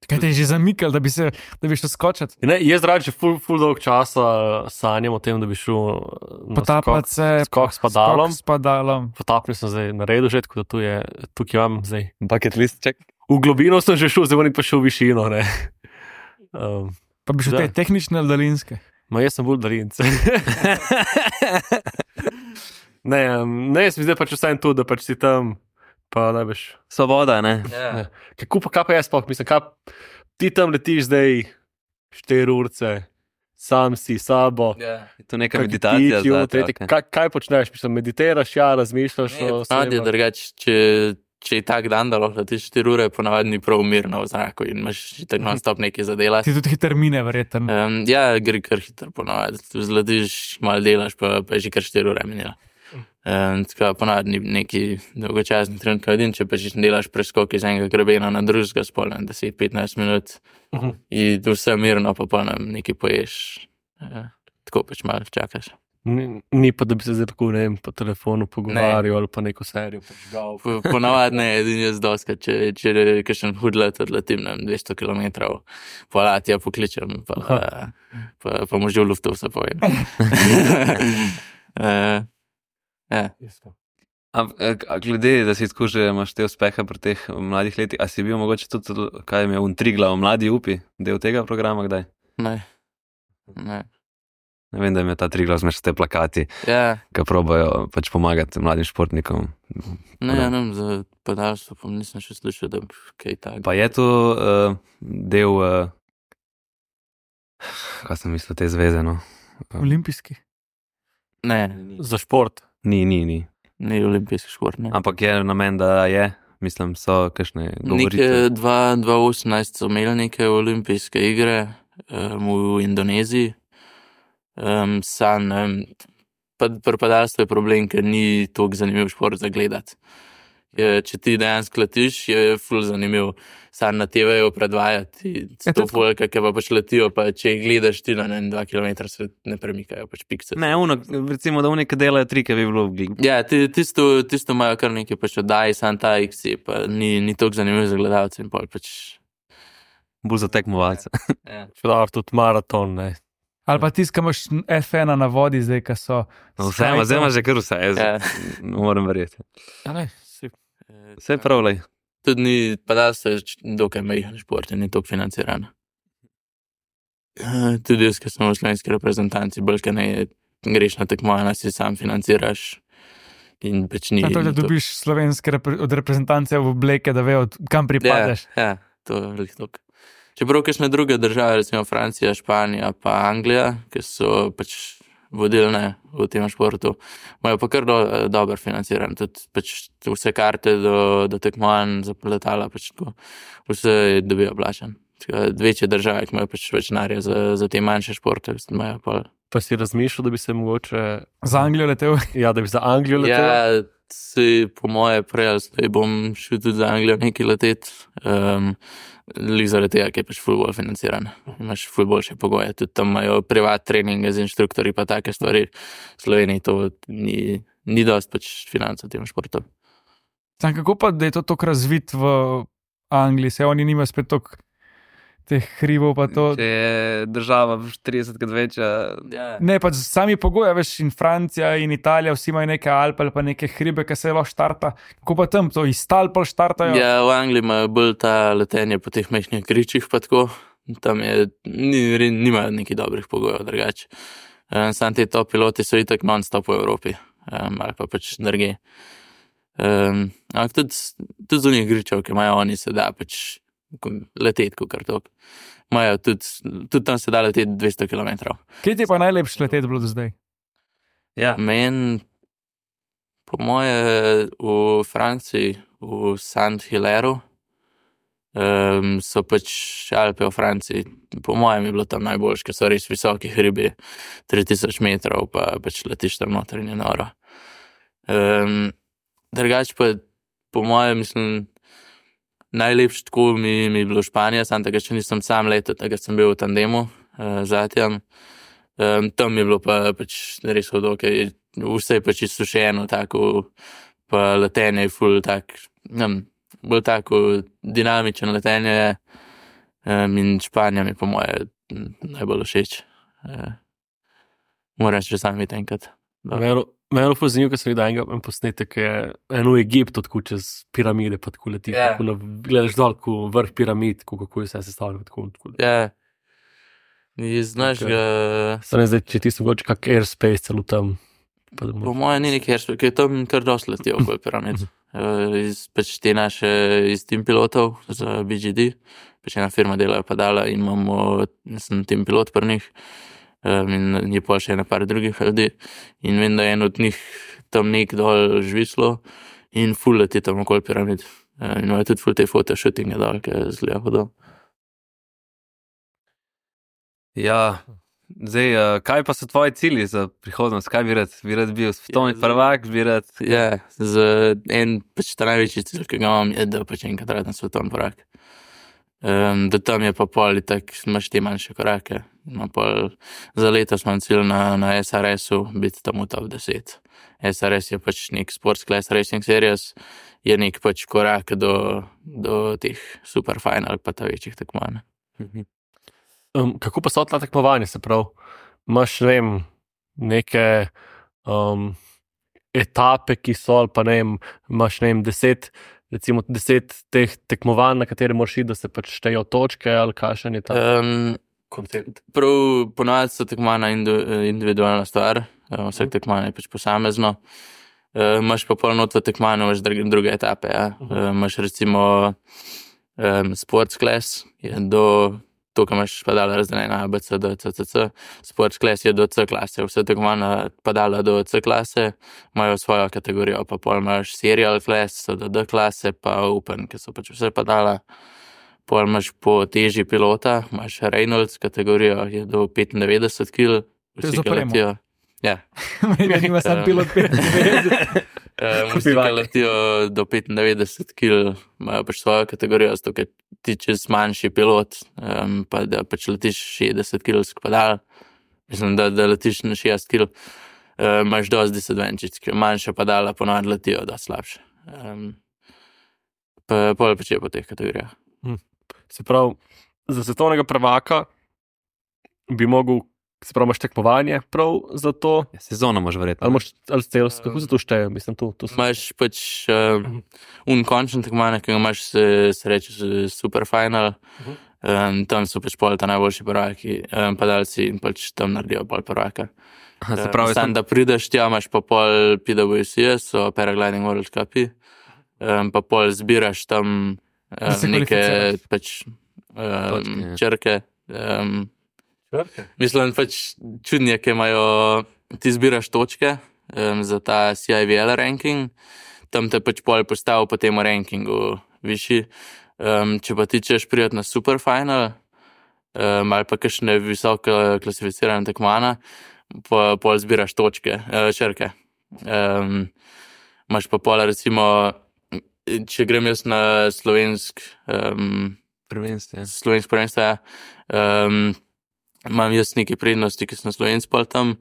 Kaj te je že zamikal, da bi se, da bi šel skočiti? Ne, jaz rad že ful, ful dolg časa sanjam o tem, da bi šel na Potapati skok, se. skok s padalom. Skok s padalom. Potapnil sem zdaj na redu že, tako da tu je, tukaj imam zdaj. Bucket list check. V globino sem že šel, zdaj moram pa šel v višino. Ne. Um, Pa bi šel Da. te tehnične ali daljinske. ma jaz sem bolj darinc. Ne, um, ne, jaz mi zdaj pač vsaj to, da pač si tam, pa ne veš. Svoboda, ne? Ja. Kako pa, kaj pa jaz sploh, mislim, kaj ti tam letiš zdaj štiri urce, sam si, sabo. Ja. Je to neka Kaki meditacija. ptiči, zate, tretji, okej. kaj, kaj počneš, mislim, meditiraš, ja, razmišljaš Ne, o ponavadi je sebi. drugače, če, če je tak dan, da lahko letiš štiri ure, ponavadi ni prav mirno v zraku in imaš tako non-stop nekaj za delati. Ti tudi hiter mine, verjetno. Um, ja, gre kar hitro ponavadi. Zletiš, malo delaš, pa, pa je že kar štiri ure minilo. Um, tako ponavadi ni neki dolgočasni trenutek, edin, če pa že delaš preskok iz enega grebena na drugega, spolno deset do petnajst minut Mhm. in vse mirno, pa pa nam nekaj poješ. Uh, tako pač malo čakaš. Ni, ni pa, da bi se zdaj tako, ne vem, po telefonu pogovarjal ali pa neko serijo počgal. Po- Ponavadi ne, edini jaz doska, če, če kakšen hud let odletim na dvesto kilometrov, pa latja pokličem, pa, pa, pa mu že v luftu vse povem. uh, ja. A, a glede, da si tako že imaš te uspehe pri teh mladih letih, a si bil mogoče tudi, kaj je imel Triglav, mladi upi, del tega programa kdaj? Ne. Ne. Ne vem, da ima ta Triglav zmeš te plakati, Ja, ki probajo pač pomagati mladim športnikom. ne, ja, ne, za padalstvo pa nisem še slišal, da bi kaj takega. Pa je to uh, del, uh, kaj sem mislil, te zveze, no? Olimpijski. Ne, Za šport. Ni, ni, ni. ni olimpijski šport, ne. Ampak je namen, da je, mislim, so kakšne govoritve. Neke dva tisoč osemnajst so imeli neke olimpijske igre um, v Indoneziji. Um, sam, ne vem, pa pri padalstvu je problem, ker ni toliko zanimiv šport za gledati. Je, če ti dejansko letiš, je ful zanimiv. Sam na te vejo predvajati, Ja, sto to- folka, ki pa pač letijo, pa če jih gledaš ti na ne, vem, dva kilometra, se ne premikajo, pač pikse. Ne, uno, recimo, da unike delajo trike, bi bilo gl- Ja, ti, tisto, tisto imajo kar nekaj pač oddaj, sam ta X je, pa ni, ni toliko zanimiv za gledalce in pol pač. bolj za tekmovalce. Ja. Čudar, tudi maraton, ne. Ali pa tisti, ki imaš F ena na vodi, zdaj, ki so. No, vse ima, zdaj ima že kar vse, jaz Ja. ne morem verjeti. Ja, ne, si. Vse prav, lej. Tudi ni, padalstvo je č- dokaj majhen šport in ni toliko financiran. Eh, Tudi jaz, ki sem v slovenski reprezentanci, bolj kaj ne greš na tekmovanja, si sam financiraš in pač ni. Na to, da ni to- dobiš slovenske repre, od reprezentance v obleke, da vejo, kam pripadeš. Ja, ja, to je veliko toliko. Čeprav kakšne druge države, recimo Francija, Španija pa Anglija, ki so pač vodilne v tem športu, imajo pa kar do, dobro financiran. Tudi pač vse karte do, do tekmovanj za letala, pač tako, vse dobijo plačan. Tako da Večje države, ki imajo pač več denarja za, za te manjše športe, imajo pa. Pa si razmišljal, da bi se mogoče, Za Anglijo letel. ja, da bi za Anglijo letel? Ja, si po moje prej ali slej bom šel tudi za Anglijo nekaj leteti. Um, Lik zaradi tega, ker je pač ful bolj financiran. Imaš ful boljše pogoje. Tudi tam imajo privat treninge z inštruktorji pa take stvari. V Sloveniji to ni, ni dost pač financ v tem športu. Sam kako pa, da je to tako razvit v Angliji, se oni nimajo spet toliko teh hribov pa to. Če je država tridesetkrat večja, Ja. Ne, pač sami pogoji, veš, in Francija in Italija, vsi imajo neke Alpe ali pa neke hribe, ki se lahko štarta. Kako pa tam to iz Talpa štartajo? Ja, v Angliji imajo bolj ta letenje po teh majhnih gričih pa tako. Tam je, ni, nimajo nekih dobrih pogojev drugače. Um, Sam te top piloti so itak non-stop v Evropi. Um, ali pa pač drugje. Um, ampak tudi, tudi z unih gričev, ki imajo oni, se da pač leteti, kot kar tok. Imajo tudi, tudi tam se da leteti dvesto kilometrov. Kje ti je pa najlepše leteti bilo do zdaj? ja, Meni, po moje, v Franciji, v Saint-Hilaire, um, so pač Alpe v Franciji. Po mojem je bilo tam najboljše, ker so res visoki hribi, tri tisoč metrov, pa pač letiš tam noter in je noro. Um, Drugače pa, po mojem, mislim, najlepše tako mi, mi je bilo Španija, sam tega še nisem sam letel, tega sem bil v tandemu uh, z Atjem. Um, tam je bilo pa pač res hudo, ker je vse je pač izsušeno, tako, pa letenje je ful tak, ne vem, bolj tako dinamično letenje je. Um, in Španija mi po moje m, najbolj všeč. Uh, Moram še sam iti enkrat. Meni je zelo zanimivo, ker sem videl enega en posnetek, ki je eno v Egiptu, tako čez piramide, pa tako letiš, Ja. tako na, gledaš dol, ko vrh piramid, ko, kako je vse sestavljeno. Tako, tako. Ja. Iz našega, Zdaj, zdaj, če ti so mogoče kak airspace celo tam, Pa da Po bomo- mojem ni nekaj, ker je tam kar dosti letijo okoli piramid. Uh, iz pač te naše, iz tim pilotov za B G D, pač ena firma dela padala in imamo, sem tim pilot pri njih, um, in je pa še ena par drugih ljudi in vem, da je en od njih tam nek dol žvislo in ful leti tam okoli piramid. Uh, in imajo tudi ful te photoshootinge dol, ki zgleda hudo. Ja, zdaj, uh, kaj pa so tvoji cilji za prihodnost? Kaj bi rad? Bi rad bil svetovni Ja, zdaj- prvak, bi rad... Ja, z en pač ta največji cilj, ki ga imam, je, da pač enkrat radim svetovni prvak. Um, da tam je pa pol, tako imaš te manjše korake. No, pol, za letos imam cilj na, na S R S-u biti tam v top deset. S R S je pač nek Sports Class Racing Series, je nek pač korak do, do teh super final pa ta večjih tekmovanj. Mhm. Um, kako pa so ta tekmovanja, se pravi, imaš, ne vem, neke um, etape, ki so, ali pa ne vem, imaš, ne vem, deset, recimo deset teh tekmovanj, na katere moraš iti, da se pač štejejo točke, ali kakšen je ta Um, koncept. prav ponovadi so tekmovanja indu- individualna stvar, um, vsak tekmovanje je pač posamezno. Uh, imaš pa pol not v tekmovanju, imaš druge, druge etape. Ja. Uh, imaš recimo um, Sports Class, je do, to, ko imaš padala razdeljena A, B, C, D, C, C, C. Sports Class je do C klase, vse tekmovanja padala do C klase, imajo svojo kategorijo, pa pol imaš Serial Class, so do D klase, pa Open, ki so pač vse padala. Pol imaš po teži pilota, imaš Reynolds kategorijo, je do petindevetdeset kil, To je vsi, za ki premo. letijo. Ja. Meni nima sam pilot petindevetdeset. Um, vsi, ki letijo do petindevetdeset kil, imajo pač svojo kategorijo, zato ker ti čez manjši pilot, um, pa da pač letiš šestdeset kilsk padal, mislim, da, da letiš na šestdeset kil, um, imaš dosti disadvantage, ker manjša padala ponovadi letijo dosti slabše. Um, pa pol pač je po teh kategorijah. Se pravi, za svetovnega prvaka bi mogel, se pravi, imaš tekmovanje prav za to, Ja, sezono imaš verjetno. ali imaš, ali cel, kako se to šteje, mislim, to, to so- Imaš pač um, un končen tekmovanje, ki ga imaš, se, se reče s- super final, um, tam so pač pol ta najboljši prvaki, um, padalci in pač tam naredijo pol prvaka. Aha, se Um, pravi, Sam, sem, da prideš tja, imaš pa pol P W C, so Paragliding World Cupi, um, pa pol zbiraš tam Da se um, neke kvalificiraš. pač Točke, um, ja. črke. Um, Mislim, pač čudnje, ki imajo, ti zbiraš točke um, za ta C I V L ranking, tam te pač pol postavi po tem rankingu višji. Um, če pa ti češ priti na super final um, ali pa kakšne visoko klasificirane tekmovanja, pa pol zbiraš točke, uh, črke. Um, imaš pa pol recimo, če grem jaz na slovensk, um, prvenstvo. Ja. slovensko prvenstvo, ja. Um, imam jaz neke prednosti, ki sem na slovensk pol tam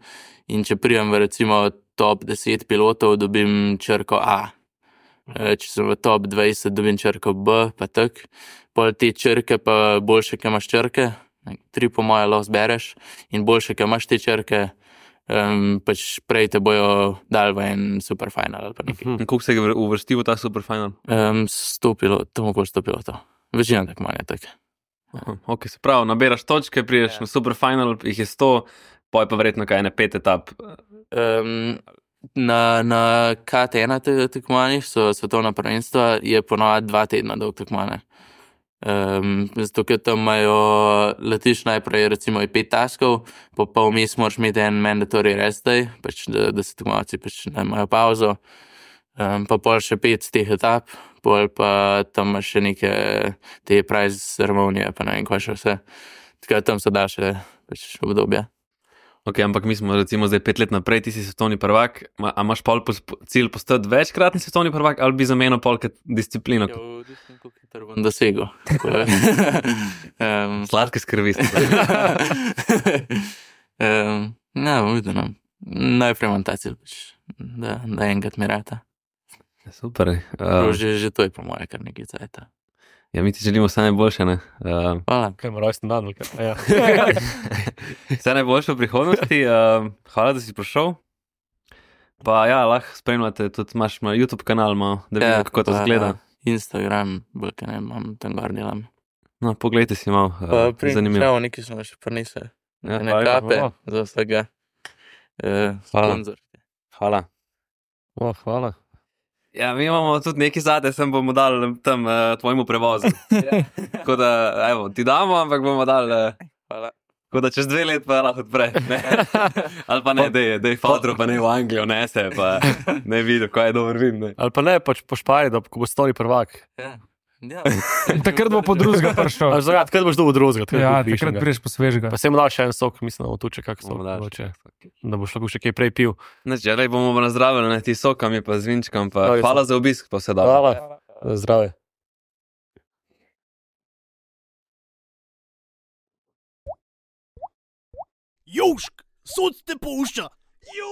in če prijem v recimo top deset pilotov, dobim črko A. E, če sem v top dvajset, dobim črko B, pa tak. Pol te črke pa boljše, ki imaš črke, tri po moje lahko zbereš in boljše, ki imaš te črke, um, pač prej te bojo dal v en super final ali pa nekaj. In koliko se je uvrstil v ta superfinal? Um, sto pilotov, tam okoli sto pilotov. Večina tekmovanja je tak. Aha, ok, se pravi, naberaš točke, priješ na superfinal, jih je sto, poj pa verjetno kaj ne pet etap. Um, na na K T ena te- tekmovanjih so svetovna prvenstva, je ponovadi dva tedna dolg tekmovanje. Um, zato, ker tam imajo, letiš najprej recimo je pet taskov, pa pa vmes moraš imeti en mandatory rest day, pač da, da se tekmovalci pač ne imajo pauzo. Um, pa pol še pet teh etap, pol pa tam imaš še neke te prize ceremonije, pa ne vem, kaj še vse. Tako da tam so daljše pač obdobje. Ok, ampak mi smo recimo zdaj pet let naprej, ti si svetovni prvak, ma, a imaš pol pos, cilj postati večkratni svetovni prvak ali bi zamenil pol kot disciplino? Ja, odvisno, koliko hitro bom dosegel. um, Sladke skrbi. um, ja, bom videl. No. Najprej imam ta cilj, pač, da, da enkrat mi rata. Super. Uh, Uh, že, že to je po moje kar nekaj cajta. ja, mi ti želimo vse najboljše, ne? Uh, Hvala. Kaj ima rojsten dan, ali kaj? A Ja. vse najboljše v prihodnosti. Uh, hvala, da si prišel. Pa ja, lahko spremljate, tudi imaš na YouTube kanal, malo, da vidimo, kako to pa, izgleda. uh, Instagram, bolj kaj ne, imam tam gor delam. No, poglejte si malo, Pa uh, pri zanimivo. Čau, neki smo še prinesli. Ja, Ne hvala lepa. kape za vsega. Uh, Hvala. sponzor. hvala. O, hvala. Ja, mi imamo tudi neki zate, sem bomo dali tam uh, tvojemu prevozu. Tako da, evo, ti damo, ampak bomo dali. Uh, Hvala. Tako da čez dve let pa lahko odpre. Ne? Ali pa ne, dej, dej fotro, pa ne v Anglijo, ne se, pa ne vidi, kaj je dober vin. Ne? Ali pa ne, pač po Španiji, da ko bo stoli prvak. Ja. Ja. Takrat bo po drugega prišel. Ali zakaj, takrat boš dobil drugega. Ja, takrat priješ po svežega. Pa se mu dal še en sok, mislim, da bo tu če kak sok. Bomo dali mogoče, še. Da boš lahko še kaj prej pil. Znači, rej bomo nazdravili, ne, ti sokami pa z vinčkom, pa Hvala, hvala za obisk, pa se da. Hvala. Zdrave. Južk, sod te pušča. Južk.